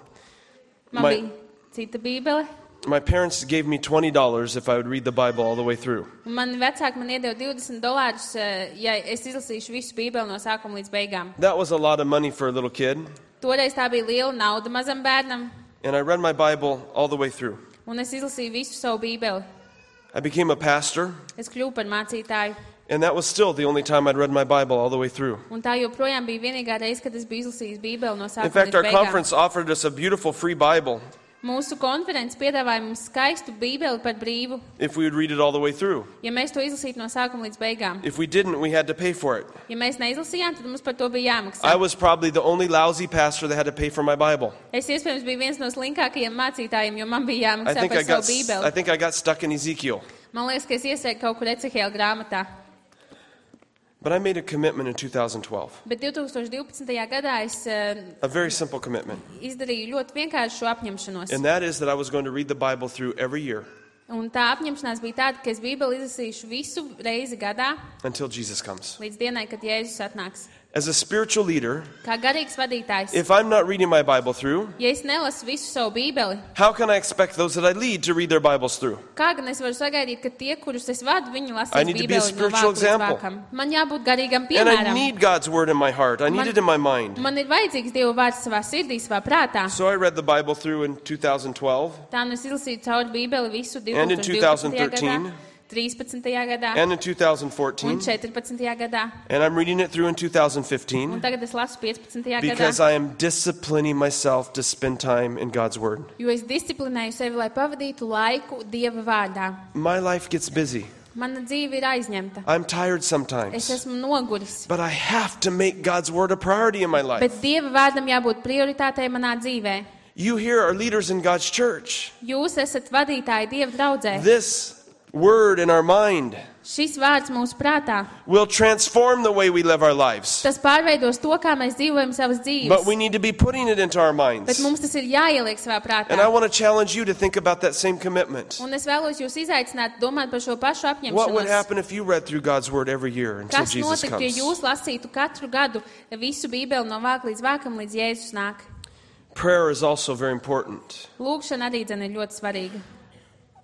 [SPEAKER 2] man
[SPEAKER 1] my-
[SPEAKER 2] bija cita bībele,
[SPEAKER 1] my parents gave me twenty dollars if I would read the Bible all the way through.
[SPEAKER 2] un man vecāki man iedeva divdesmit dolārus, eh, ja es izlasīšu visu bībeli no sākuma līdz beigām.
[SPEAKER 1] That was a lot of money for a little kid,
[SPEAKER 2] Toreiz tā bija liela nauda mazam bērnam,
[SPEAKER 1] and I read my Bible all the way through.
[SPEAKER 2] un es izlasīju visu savu bībeli.
[SPEAKER 1] I became a pastor,
[SPEAKER 2] Es kļuvu par mācītāju,
[SPEAKER 1] and that was still the only time I'd read my Bible all the way through.
[SPEAKER 2] un tā joprojām bija vienīgā reize, kad es biju izlasījis bībeli no
[SPEAKER 1] In
[SPEAKER 2] sākuma
[SPEAKER 1] fact,
[SPEAKER 2] līdz
[SPEAKER 1] our
[SPEAKER 2] beigām.
[SPEAKER 1] conference offered us a beautiful free Bible
[SPEAKER 2] Mūsu konferences piedāvāja mums skaistu bībeli par brīvu,
[SPEAKER 1] if we would read it all the way through.
[SPEAKER 2] ja mēs to izlasītu no sākuma līdz beigām.
[SPEAKER 1] If we didn't, we had to pay for it.
[SPEAKER 2] Ja mēs neizlasījām, tad mums par to bija
[SPEAKER 1] I
[SPEAKER 2] jāmaksā.
[SPEAKER 1] was probably the only lousy pastor that had to pay for my Bible.
[SPEAKER 2] Es iespējams biju viens no slinkākajiem mācītājiem, jo man bija
[SPEAKER 1] I
[SPEAKER 2] jāmaksā
[SPEAKER 1] think I
[SPEAKER 2] par
[SPEAKER 1] got
[SPEAKER 2] savu
[SPEAKER 1] I
[SPEAKER 2] bībeli.
[SPEAKER 1] think I got stuck in Ezekiel.
[SPEAKER 2] Man liekas, ka es iestrēgu kaut kur Ecehēla grāmatā.
[SPEAKER 1] But I made a commitment in two thousand twelve.
[SPEAKER 2] Bet divtūkstoš divpadsmitajā gadā es uh,
[SPEAKER 1] A very simple commitment.
[SPEAKER 2] izdarīju ļoti vienkāršu šo apņemšanos.
[SPEAKER 1] And that is that I was going to read the Bible through every year.
[SPEAKER 2] Un tā apņemšanās bija tāda, ka es Bībeli izlasīšu visu reizi gadā,
[SPEAKER 1] until Jesus comes.
[SPEAKER 2] līdz dienai, kad Jēzus atnāks.
[SPEAKER 1] As a spiritual leader,
[SPEAKER 2] Kā garīgs vadītājs,
[SPEAKER 1] if I'm not reading my Bible through,
[SPEAKER 2] ja es nelasu visu savu Bībeli,
[SPEAKER 1] how can I expect those that I lead to read their Bibles through?
[SPEAKER 2] kā gan es varu sagaidīt, ka tie, kurus es vadu, viņi
[SPEAKER 1] I
[SPEAKER 2] lasīs
[SPEAKER 1] need to be a
[SPEAKER 2] Bībeli no
[SPEAKER 1] spiritual
[SPEAKER 2] vāka līdz
[SPEAKER 1] example.
[SPEAKER 2] vākam. Man jābūt garīgam
[SPEAKER 1] And I
[SPEAKER 2] piemēram.
[SPEAKER 1] need God's word in my heart. I need
[SPEAKER 2] Man-
[SPEAKER 1] it in my mind.
[SPEAKER 2] Man ir vajadzīgs Dieva vārds savā sirdī, savā prātā.
[SPEAKER 1] So I read the Bible through in two thousand twelve
[SPEAKER 2] Tā nu es izlasīju cauri Bībeli visu
[SPEAKER 1] And in
[SPEAKER 2] divtūkstoš divpadsmitajā
[SPEAKER 1] twenty thirteen.
[SPEAKER 2] gadā, trīspadsmitajā gadā
[SPEAKER 1] and in two thousand
[SPEAKER 2] un
[SPEAKER 1] fourteen.
[SPEAKER 2] četrpadsmitajā gadā.
[SPEAKER 1] And I'm reading it through in two thousand
[SPEAKER 2] Un
[SPEAKER 1] fifteen
[SPEAKER 2] tagad es lasu piecpadsmitajā
[SPEAKER 1] because
[SPEAKER 2] gadā,
[SPEAKER 1] I am disciplining myself to spend time in God's word.
[SPEAKER 2] jo es disciplinēju sevi, lai pavadītu laiku Dieva vārdā.
[SPEAKER 1] My life gets busy.
[SPEAKER 2] Mana dzīve ir aizņemta.
[SPEAKER 1] I'm tired
[SPEAKER 2] Es
[SPEAKER 1] sometimes.
[SPEAKER 2] esmu noguris.
[SPEAKER 1] But I have to make God's word a priority in my life.
[SPEAKER 2] Bet Dieva vārdam jābūt prioritātei manā dzīvē.
[SPEAKER 1] You here are leaders in God's church.
[SPEAKER 2] Jūs esat vadītāji Dieva draudzē.
[SPEAKER 1] This word in our mind
[SPEAKER 2] Šis vārds mūsu prātā.
[SPEAKER 1] will transform the way we live our lives.
[SPEAKER 2] Tas pārveidos to, kā mēs dzīvojam savas dzīves.
[SPEAKER 1] But we need to be putting it into our
[SPEAKER 2] Bet
[SPEAKER 1] minds.
[SPEAKER 2] mums tas ir jāieliek savā
[SPEAKER 1] And I
[SPEAKER 2] prātā.
[SPEAKER 1] want to challenge you to think about that same commitment.
[SPEAKER 2] Un es vēlos jūs izaicināt domāt par šo pašu
[SPEAKER 1] What would
[SPEAKER 2] apņemšanos.
[SPEAKER 1] happen if you read through God's word every year until
[SPEAKER 2] Kas
[SPEAKER 1] Jesus
[SPEAKER 2] notiktu, ja
[SPEAKER 1] comes?
[SPEAKER 2] jūs lasītu katru gadu visu Bībeli no vāka līdz vākam, līdz Jēzus nāk?
[SPEAKER 1] Prayer is also very important.
[SPEAKER 2] Lūkšana arī dzen ir ļoti svarīga.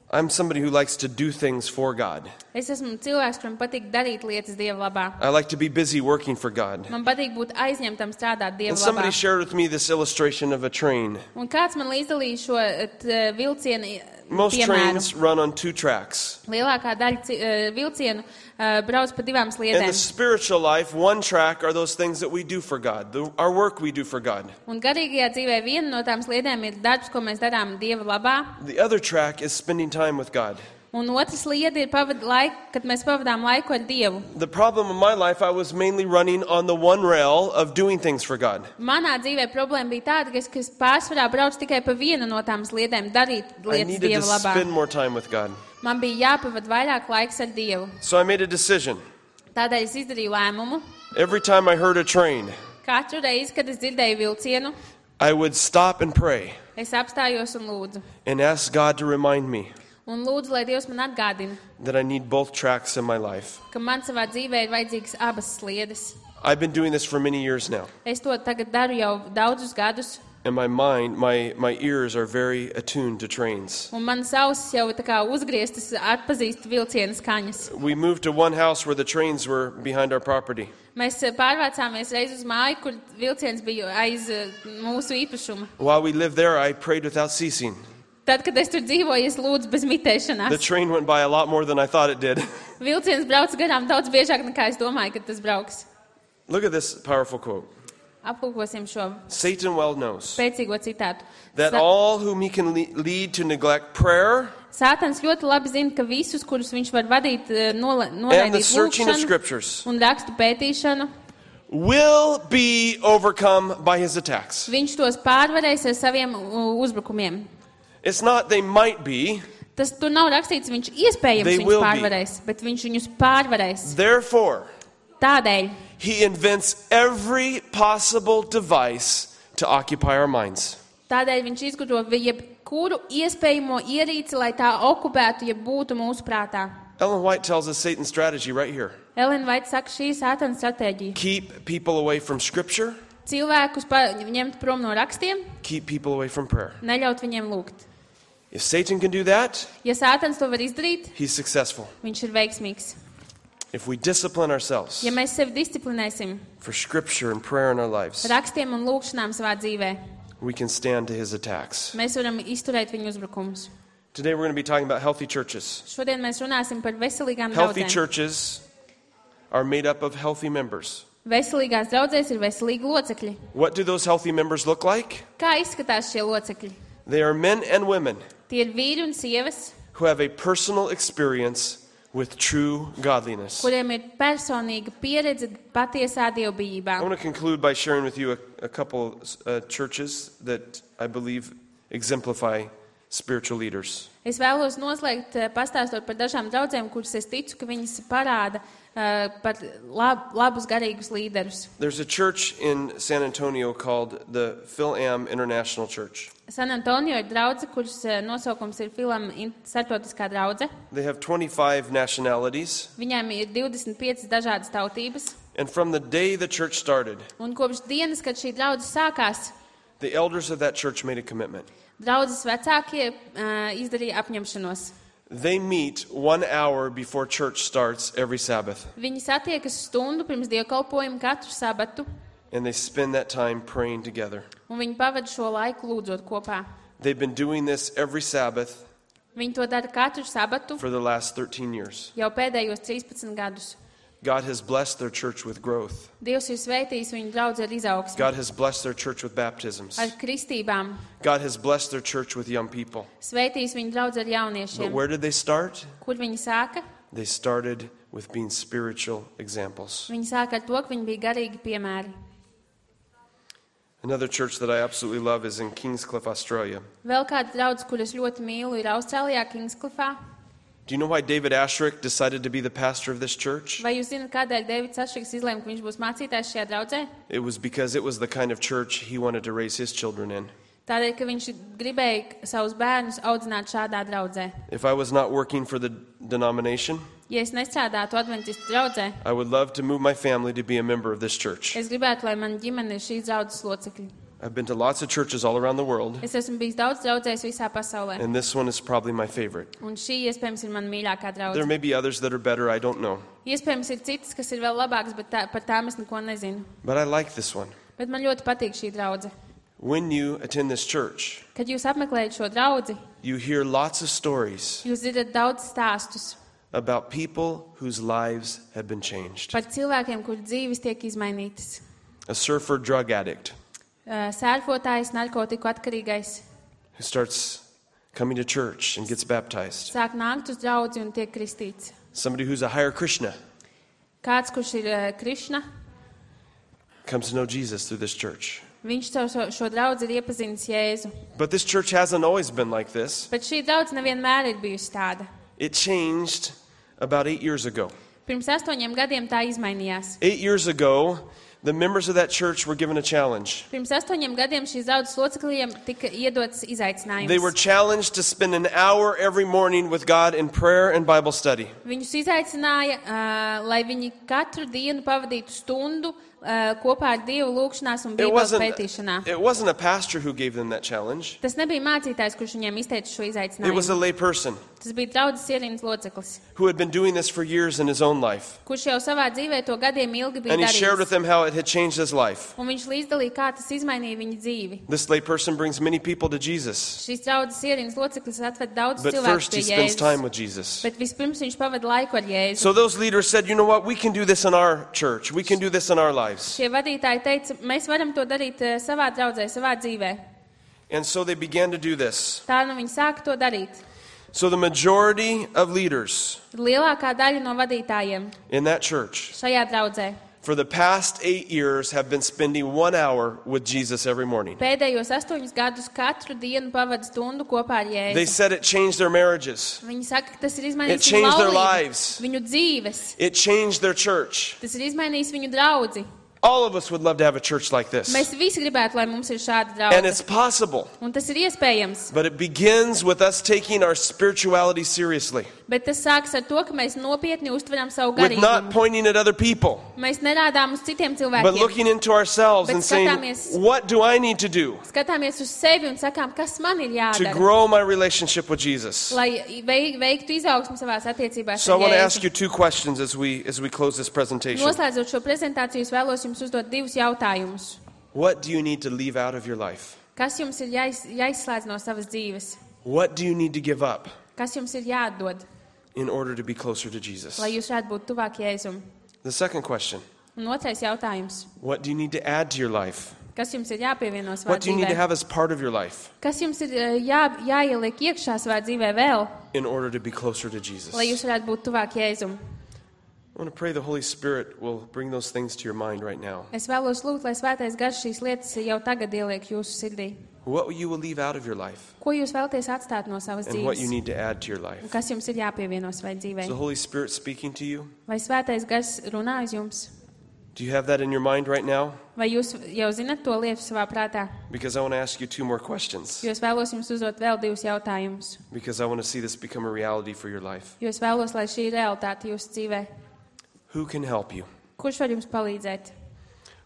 [SPEAKER 1] I'm somebody who likes to do things for God.
[SPEAKER 2] Es esmu cilvēks, kuram patīk darīt lietas Dieva labā.
[SPEAKER 1] I like to be busy working for God.
[SPEAKER 2] Man patīk būt aizņemtam strādāt Dieva
[SPEAKER 1] And somebody
[SPEAKER 2] labā.
[SPEAKER 1] shared with me this illustration of a train.
[SPEAKER 2] Un kāds man līdzdalīja šo t, vilcienu
[SPEAKER 1] Most
[SPEAKER 2] piemēru?
[SPEAKER 1] trains run on two tracks.
[SPEAKER 2] Lielākā daļa ci- eh, vilcienu eh, brauc pa divām
[SPEAKER 1] In
[SPEAKER 2] sliedēm.
[SPEAKER 1] the spiritual life, one track are those things that we do for God, the, our work we do for God.
[SPEAKER 2] Un garīgajā dzīvē viena no tām sliedēm ir darbs, ko mēs darām Dieva labā.
[SPEAKER 1] The other track is spending time with God.
[SPEAKER 2] Un otrs lieta ir, pavad, laik, kad mēs pavadām laiku ar Dievu.
[SPEAKER 1] The problem in my life, I was mainly running on the one rail of doing things for God.
[SPEAKER 2] Manā dzīvē problēma bija tāda, ka es, ka es pārsvarā braucu tikai pa vienu no tām sliedēm, darīt
[SPEAKER 1] I
[SPEAKER 2] lietas
[SPEAKER 1] needed to
[SPEAKER 2] Dieva labā.
[SPEAKER 1] spend more time with God.
[SPEAKER 2] Man bija jāpavad vairāk laiks ar Dievu.
[SPEAKER 1] So I made a decision.
[SPEAKER 2] Tādēļ es izdarīju lēmumu.
[SPEAKER 1] Every time I heard a train,
[SPEAKER 2] Katru reizi, kad es dzirdēju vilcienu,
[SPEAKER 1] I would stop and pray
[SPEAKER 2] es apstājos un lūdzu.
[SPEAKER 1] and ask God to remind me
[SPEAKER 2] Un lūdzu, lai Dievs man atgādina,
[SPEAKER 1] that I need both tracks in my life.
[SPEAKER 2] ka man savā dzīvē ir vajadzīgas abas sliedes.
[SPEAKER 1] I've been doing this for many years now.
[SPEAKER 2] Es to tagad daru jau daudzus gadus,
[SPEAKER 1] And my mind, my, my ears are very attuned to trains.
[SPEAKER 2] un manas ausis jau tā kā uzgrieztas atpazīst vilcienu skaņas.
[SPEAKER 1] We moved to one house where the trains were behind our property.
[SPEAKER 2] Mēs eh, pārvācāmies reiz uz māju, kur vilciens bija aiz eh, mūsu īpašuma.
[SPEAKER 1] While we lived there, I prayed without ceasing.
[SPEAKER 2] Tad, kad es tur dzīvoju, es lūdzu bez
[SPEAKER 1] The
[SPEAKER 2] mitēšanās.
[SPEAKER 1] train went by a lot more than I thought it did.
[SPEAKER 2] Vilciens brauc garām daudz biežāk, nekā es domāju, ka tas brauks.
[SPEAKER 1] Look at this powerful quote.
[SPEAKER 2] Aplūkosim šo
[SPEAKER 1] Satan well knows
[SPEAKER 2] spēcīgo citātu.
[SPEAKER 1] that
[SPEAKER 2] Sa-
[SPEAKER 1] all whom he can le- lead to neglect prayer
[SPEAKER 2] Sātans ļoti labi zina, ka visus, kurus viņš var vadīt, eh, nola-
[SPEAKER 1] and the
[SPEAKER 2] noraidīt
[SPEAKER 1] searching of
[SPEAKER 2] lūkšanu
[SPEAKER 1] scriptures
[SPEAKER 2] un rakstu pētīšanu,
[SPEAKER 1] will be overcome by his attacks.
[SPEAKER 2] viņš tos pārvarēs ar saviem uh, uzbrukumiem.
[SPEAKER 1] It's not they might be.
[SPEAKER 2] Tas tur nav rakstīts, viņš iespējams
[SPEAKER 1] They
[SPEAKER 2] viņus
[SPEAKER 1] will be.
[SPEAKER 2] pārvarēs, bet viņš viņus pārvarēs.
[SPEAKER 1] Therefore,
[SPEAKER 2] Tādēļ
[SPEAKER 1] he invents every possible device to occupy our minds.
[SPEAKER 2] Tādēļ viņš izgudro jebkuru iespējamo ierīci, lai tā okupētu, ja būtu mūsu prātā.
[SPEAKER 1] Ellen White tells us Satan's strategy right here.
[SPEAKER 2] Elena Vaita saka, šī ir Sātana stratēģija.
[SPEAKER 1] Keep people away from scripture,
[SPEAKER 2] Cilvēkus pa, ņemt prom no rakstiem,
[SPEAKER 1] keep people away from prayer.
[SPEAKER 2] neļaut viņiem lūgt.
[SPEAKER 1] If Satan can do that,
[SPEAKER 2] Ja Sātans to var izdarīt,
[SPEAKER 1] he's successful.
[SPEAKER 2] viņš ir veiksmīgs.
[SPEAKER 1] If we discipline ourselves
[SPEAKER 2] Ja mēs sevi disciplinēsim
[SPEAKER 1] for scripture and prayer in our lives,
[SPEAKER 2] rakstiem un lūkšanām savā dzīvē,
[SPEAKER 1] we can stand to his attacks.
[SPEAKER 2] mēs varam izturēt viņu uzbrukumus.
[SPEAKER 1] Today we're going to be talking about healthy churches.
[SPEAKER 2] Šodien mēs runāsim par veselīgām
[SPEAKER 1] Healthy
[SPEAKER 2] draudzēm.
[SPEAKER 1] churches are made up of healthy members.
[SPEAKER 2] Veselīgās draudzēs ir veselīgi locekļi.
[SPEAKER 1] What do those healthy members look like?
[SPEAKER 2] Kā izskatās šie locekļi?
[SPEAKER 1] They are men and women
[SPEAKER 2] Tie ir vīri un sievas,
[SPEAKER 1] who have a personal experience with true godliness.
[SPEAKER 2] kuriem ir personīga pieredze patiesā
[SPEAKER 1] I
[SPEAKER 2] dievbijībā.
[SPEAKER 1] want to conclude by sharing with you a, a couple uh, churches that I believe exemplify spiritual leaders.
[SPEAKER 2] Es vēlos noslēgt, eh, pastāstot par dažām draudzēm, kuras es ticu, ka viņas parāda uh, par lab, labus garīgus līderus.
[SPEAKER 1] There's a church in San Antonio called the Philam International Church.
[SPEAKER 2] San Antonio ir draudze, kuras uh, nosaukums ir Philam starptautiskā draudze.
[SPEAKER 1] They have twenty-five nationalities.
[SPEAKER 2] Viņiem ir divdesmit piecas dažādas tautības.
[SPEAKER 1] And from the day the church started,
[SPEAKER 2] Un kopš dienas, kad šī draudze sākās,
[SPEAKER 1] the elders of that church made a commitment.
[SPEAKER 2] draudzes vecākie uh, izdarīja apņemšanos.
[SPEAKER 1] They meet one hour before church starts every Sabbath.
[SPEAKER 2] Viņi satiekas stundu pirms dievkalpojuma katru sabatu,
[SPEAKER 1] And they spend that time praying together.
[SPEAKER 2] un viņi pavada šo laiku lūdzot kopā.
[SPEAKER 1] They've been doing this every Sabbath
[SPEAKER 2] Viņi to dara katru sabatu
[SPEAKER 1] for the last thirteen years.
[SPEAKER 2] jau pēdējos trīspadsmit gadus.
[SPEAKER 1] God has blessed their church with growth.
[SPEAKER 2] Dievs ir sveitījis viņu draudzi ar izaugsmi,
[SPEAKER 1] God has blessed their church with baptisms.
[SPEAKER 2] ar kristībām,
[SPEAKER 1] God has blessed their church with young people.
[SPEAKER 2] sveitījis viņu draudzi ar
[SPEAKER 1] But
[SPEAKER 2] jauniešiem.
[SPEAKER 1] where did they start?
[SPEAKER 2] Kur viņi sāka?
[SPEAKER 1] They started with being spiritual examples.
[SPEAKER 2] Viņi sāka ar to, ka viņi bija garīgi piemēri.
[SPEAKER 1] Another church that I absolutely love is in Kingscliff, Australia.
[SPEAKER 2] Vēl kāda draudze, kuras ļoti mīlu, ir Austrālijā, Kingscliffā.
[SPEAKER 1] Do you know why David Ashrick decided to be the pastor of this church?
[SPEAKER 2] Vai jūs zināt, kādēļ Deivids Ašriks izlēma, ka viņš būs mācītājs šajā draudzē?
[SPEAKER 1] It was because it was the kind of church he wanted to raise his children in.
[SPEAKER 2] Tādēļ, ka viņš gribēja savus bērnus audzināt šādā draudzē.
[SPEAKER 1] If I was not working for the denomination,
[SPEAKER 2] Ja es nestrādātu adventistu draudzē,
[SPEAKER 1] I would love to move my family to be a member of this church.
[SPEAKER 2] es gribētu, lai mana ģimene ir šīs draudzes locekļi.
[SPEAKER 1] I've been to lots of churches all around the world,
[SPEAKER 2] Es esmu bijis daudz draudzēs visā pasaulē,
[SPEAKER 1] and this one is probably my favorite.
[SPEAKER 2] un šī iespējams ir mana mīļākā
[SPEAKER 1] There
[SPEAKER 2] draudze.
[SPEAKER 1] may be others that are better, I don't know.
[SPEAKER 2] Iespējams ir citas, kas ir vēl labākas, bet tā, par tām es neko nezinu.
[SPEAKER 1] But I like this one.
[SPEAKER 2] Bet man ļoti patīk šī draudze.
[SPEAKER 1] When you attend this church,
[SPEAKER 2] Kad jūs apmeklējat šo draudzi,
[SPEAKER 1] you hear lots of stories
[SPEAKER 2] jūs dzirdat daudz stāstus
[SPEAKER 1] about people whose lives have been changed.
[SPEAKER 2] par cilvēkiem, kur dzīves tiek izmainītas.
[SPEAKER 1] A surfer drug addict
[SPEAKER 2] Uh, Sērfotājs, narkotiku atkarīgais
[SPEAKER 1] who starts coming to church and gets baptized.
[SPEAKER 2] sāk nākt uz draudzi un tiek kristīts.
[SPEAKER 1] Somebody who's a Hare Krishna
[SPEAKER 2] Kāds, kurš ir uh, Krišna,
[SPEAKER 1] comes to know Jesus through this church.
[SPEAKER 2] viņš caur šo, šo draudzi ir iepazinis Jēzu.
[SPEAKER 1] But this church hasn't always been like this.
[SPEAKER 2] Bet šī draudze nevienmēr ir bijusi tāda.
[SPEAKER 1] It changed about eight years ago.
[SPEAKER 2] Pirms astoņiem gadiem tā izmainījās.
[SPEAKER 1] Eight years ago, the members of that church were given a challenge.
[SPEAKER 2] Pirms astoņiem gadiem šīs draudzes locekļiem tika iedots izaicinājums.
[SPEAKER 1] They were challenged to spend an hour every morning with God in prayer and Bible study.
[SPEAKER 2] Viņus izaicināja, uh, lai viņi katru dienu pavadītu stundu uh, kopā ar Dievu lūgšanās un
[SPEAKER 1] It
[SPEAKER 2] Bībeles
[SPEAKER 1] wasn't,
[SPEAKER 2] pētīšanā.
[SPEAKER 1] it wasn't a pastor who gave them that challenge.
[SPEAKER 2] Tas nebija mācītājs, kurš viņiem izteica šo
[SPEAKER 1] It was a
[SPEAKER 2] izaicinājumu.
[SPEAKER 1] lay person
[SPEAKER 2] Tas bija draudzes ierīnas loceklis,
[SPEAKER 1] who had been doing this for years in his own life.
[SPEAKER 2] kurš jau savā dzīvē to gadiem ilgi bija
[SPEAKER 1] And he shared with
[SPEAKER 2] darījis.
[SPEAKER 1] them how it had changed his life.
[SPEAKER 2] Un viņš līdzdalīja, kā tas izmainīja viņa dzīvi.
[SPEAKER 1] This lay person brings many people to Jesus.
[SPEAKER 2] Šīs draudzes ierīnas loceklis atved daudz
[SPEAKER 1] But
[SPEAKER 2] cilvēku
[SPEAKER 1] first
[SPEAKER 2] pie
[SPEAKER 1] he spends time
[SPEAKER 2] Jēzus.
[SPEAKER 1] with Jesus.
[SPEAKER 2] Bet vispirms viņš pavada laiku ar Jēzu.
[SPEAKER 1] So those leaders said, you know what, we can do this in our church. We can do this in our lives.
[SPEAKER 2] Šie vadītāji teica, mēs varam to darīt eh, savā draudzē, savā dzīvē.
[SPEAKER 1] And so they began to do this.
[SPEAKER 2] Tā nu viņi sāka to darīt.
[SPEAKER 1] So the majority of leaders
[SPEAKER 2] Lielākā daļa no vadītājiem
[SPEAKER 1] in that church
[SPEAKER 2] šajā draudzē
[SPEAKER 1] for the past eight years have been spending one hour with Jesus every morning.
[SPEAKER 2] pēdējos astoņus gadus katru dienu pavada stundu kopā ar
[SPEAKER 1] They
[SPEAKER 2] Jēzu.
[SPEAKER 1] said it changed their marriages.
[SPEAKER 2] Viņi saka, ka tas ir
[SPEAKER 1] It
[SPEAKER 2] izmainījis viņu
[SPEAKER 1] changed their
[SPEAKER 2] laulību,
[SPEAKER 1] lives.
[SPEAKER 2] viņu dzīves.
[SPEAKER 1] It changed their church.
[SPEAKER 2] Tas ir izmainījis viņu draudzi.
[SPEAKER 1] All of us would love to have a church like this.
[SPEAKER 2] Mēs visi gribētu, lai mums ir šāda
[SPEAKER 1] And it's
[SPEAKER 2] draudze.
[SPEAKER 1] possible.
[SPEAKER 2] Un tas ir iespējams.
[SPEAKER 1] But it begins with us taking our spirituality seriously.
[SPEAKER 2] Bet tas sākas ar to, ka mēs nopietni uztveram savu
[SPEAKER 1] With not
[SPEAKER 2] garīgumu.
[SPEAKER 1] pointing at other people,
[SPEAKER 2] Mēs nerādām uz citiem
[SPEAKER 1] but
[SPEAKER 2] cilvēkiem.
[SPEAKER 1] looking into ourselves
[SPEAKER 2] Bet
[SPEAKER 1] and saying,
[SPEAKER 2] skatāmies-
[SPEAKER 1] what do I need to do
[SPEAKER 2] Skatāmies uz sevi un sakām, kas man ir
[SPEAKER 1] to
[SPEAKER 2] jādara,
[SPEAKER 1] grow my relationship with Jesus?
[SPEAKER 2] lai vei- veiktu izaugsmu savās attiecībās
[SPEAKER 1] So I
[SPEAKER 2] ar
[SPEAKER 1] want to ask
[SPEAKER 2] Jēzu.
[SPEAKER 1] you two questions as we as we close this presentation.
[SPEAKER 2] Noslēdzot šo prezentāciju, es vēlos jums uzdot divus jautājumus.
[SPEAKER 1] What do you need to leave out of your life?
[SPEAKER 2] Kas jums ir jāiz, jāizslēdz no savas dzīves?
[SPEAKER 1] What do you need to give up
[SPEAKER 2] Kas jums ir jāatdod,
[SPEAKER 1] in order to be closer to Jesus?
[SPEAKER 2] lai jūs varētu būt tuvāk Jēzum?
[SPEAKER 1] The second question,
[SPEAKER 2] Un otrais jautājums.
[SPEAKER 1] what do you need to add to your life?
[SPEAKER 2] Kas jums ir jāpievieno savā
[SPEAKER 1] What do you need to
[SPEAKER 2] dzīvē?
[SPEAKER 1] have as part of your life
[SPEAKER 2] Kas jums ir eh, jā, jāieliek iekšā savā dzīvē vēl,
[SPEAKER 1] in order to be closer to Jesus?
[SPEAKER 2] lai jūs varētu būt tuvāk Jēzum?
[SPEAKER 1] I want to pray the Holy Spirit will bring those things to your mind right now.
[SPEAKER 2] Es vēlos lūgt, lai svētais gars šīs lietas jau tagad ieliek jūsu sirdī.
[SPEAKER 1] What you will leave out of your life.
[SPEAKER 2] Ko jūs vēlaties atstāt no savas
[SPEAKER 1] And what you
[SPEAKER 2] dzīves?
[SPEAKER 1] need to add to your
[SPEAKER 2] Un
[SPEAKER 1] life.
[SPEAKER 2] kas jums ir jāpievieno savai
[SPEAKER 1] Is
[SPEAKER 2] dzīvei?
[SPEAKER 1] the Holy Spirit speaking to you?
[SPEAKER 2] Vai svētais gars runā uz jums?
[SPEAKER 1] Do you have that in your mind right now?
[SPEAKER 2] Vai jūs jau zinat to lietu savā prātā?
[SPEAKER 1] Because I want to ask you two more questions.
[SPEAKER 2] Jo es vēlos jums uzdot vēl divus jautājumus.
[SPEAKER 1] Because I want to see this become a reality for your life.
[SPEAKER 2] Jo es vēlos, lai šī realitāte jūsu dzīvē.
[SPEAKER 1] Who can help you?
[SPEAKER 2] Kurš var jums palīdzēt?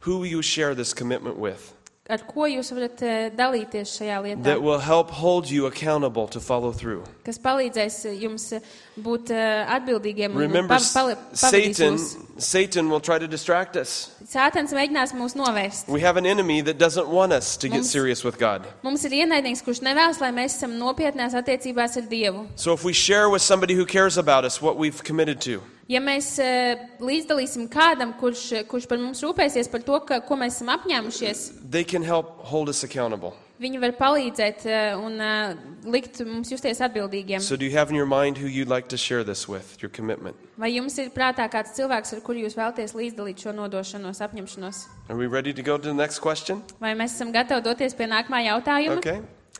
[SPEAKER 1] Who will you share this commitment with?
[SPEAKER 2] Ar ko jūs varat eh, dalīties šajā lietā?
[SPEAKER 1] That will help hold you accountable to follow through.
[SPEAKER 2] Kas palīdzēs eh, jums eh, būt eh, atbildīgiem un
[SPEAKER 1] Remember,
[SPEAKER 2] pa- pali- pavadīs
[SPEAKER 1] Satan,
[SPEAKER 2] jūs.
[SPEAKER 1] Satan will try to distract us.
[SPEAKER 2] Sātans mēģinās mūs novērst.
[SPEAKER 1] We have an enemy that doesn't want us to get
[SPEAKER 2] Mums-
[SPEAKER 1] serious with God.
[SPEAKER 2] Mums ir ienaidnieks, kurš nevēlas, lai mēs esam nopietnās attiecībās ar Dievu.
[SPEAKER 1] So if we share with somebody who cares about us what we've committed to,
[SPEAKER 2] Ja mēs eh, līdzdalīsim kādam, kurš, kurš par mums rūpēsies par to, ka, ko mēs esam apņēmušies,
[SPEAKER 1] they can help hold us accountable.
[SPEAKER 2] viņi var palīdzēt eh, un eh, likt mums justies atbildīgiem.
[SPEAKER 1] So do you have in your mind who you'd like to share this with, your commitment?
[SPEAKER 2] Vai jums ir prātā kāds cilvēks, ar kuru jūs vēlaties līdzdalīt šo nodošanos, apņemšanos?
[SPEAKER 1] Are we ready to go to the next question?
[SPEAKER 2] Vai mēs esam gatavi doties pie nākamā jautājuma?
[SPEAKER 1] Okay.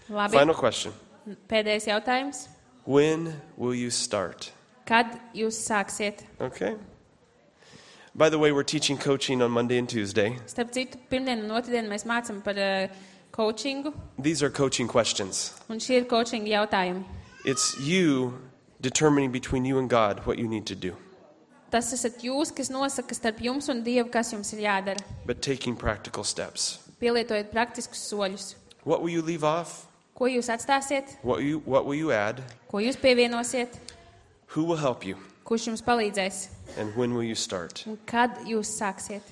[SPEAKER 2] Labi.
[SPEAKER 1] Final question.
[SPEAKER 2] Pēdējais jautājums.
[SPEAKER 1] When will you start?
[SPEAKER 2] Kad jūs sāksiet?
[SPEAKER 1] Okay. By the way, we're teaching coaching on Monday and Tuesday.
[SPEAKER 2] Starp citu, pirmdien un otrdien mēs mācam par uh, coachingu,
[SPEAKER 1] These are coaching questions.
[SPEAKER 2] un šie ir coachinga jautājumi.
[SPEAKER 1] It's you determining between you and God what you need to do,
[SPEAKER 2] Tas esat jūs, kas nosaka starp jums un Dievu, kas jums ir jādara.
[SPEAKER 1] but taking practical steps.
[SPEAKER 2] Pielietojiet praktiskus soļus.
[SPEAKER 1] What will you leave off?
[SPEAKER 2] Ko jūs atstāsiet?
[SPEAKER 1] What will you, what will you add?
[SPEAKER 2] Ko jūs pievienosiet?
[SPEAKER 1] Who will help you?
[SPEAKER 2] Kurš jums palīdzēs?
[SPEAKER 1] And when will you start?
[SPEAKER 2] Un kad jūs sāksiet?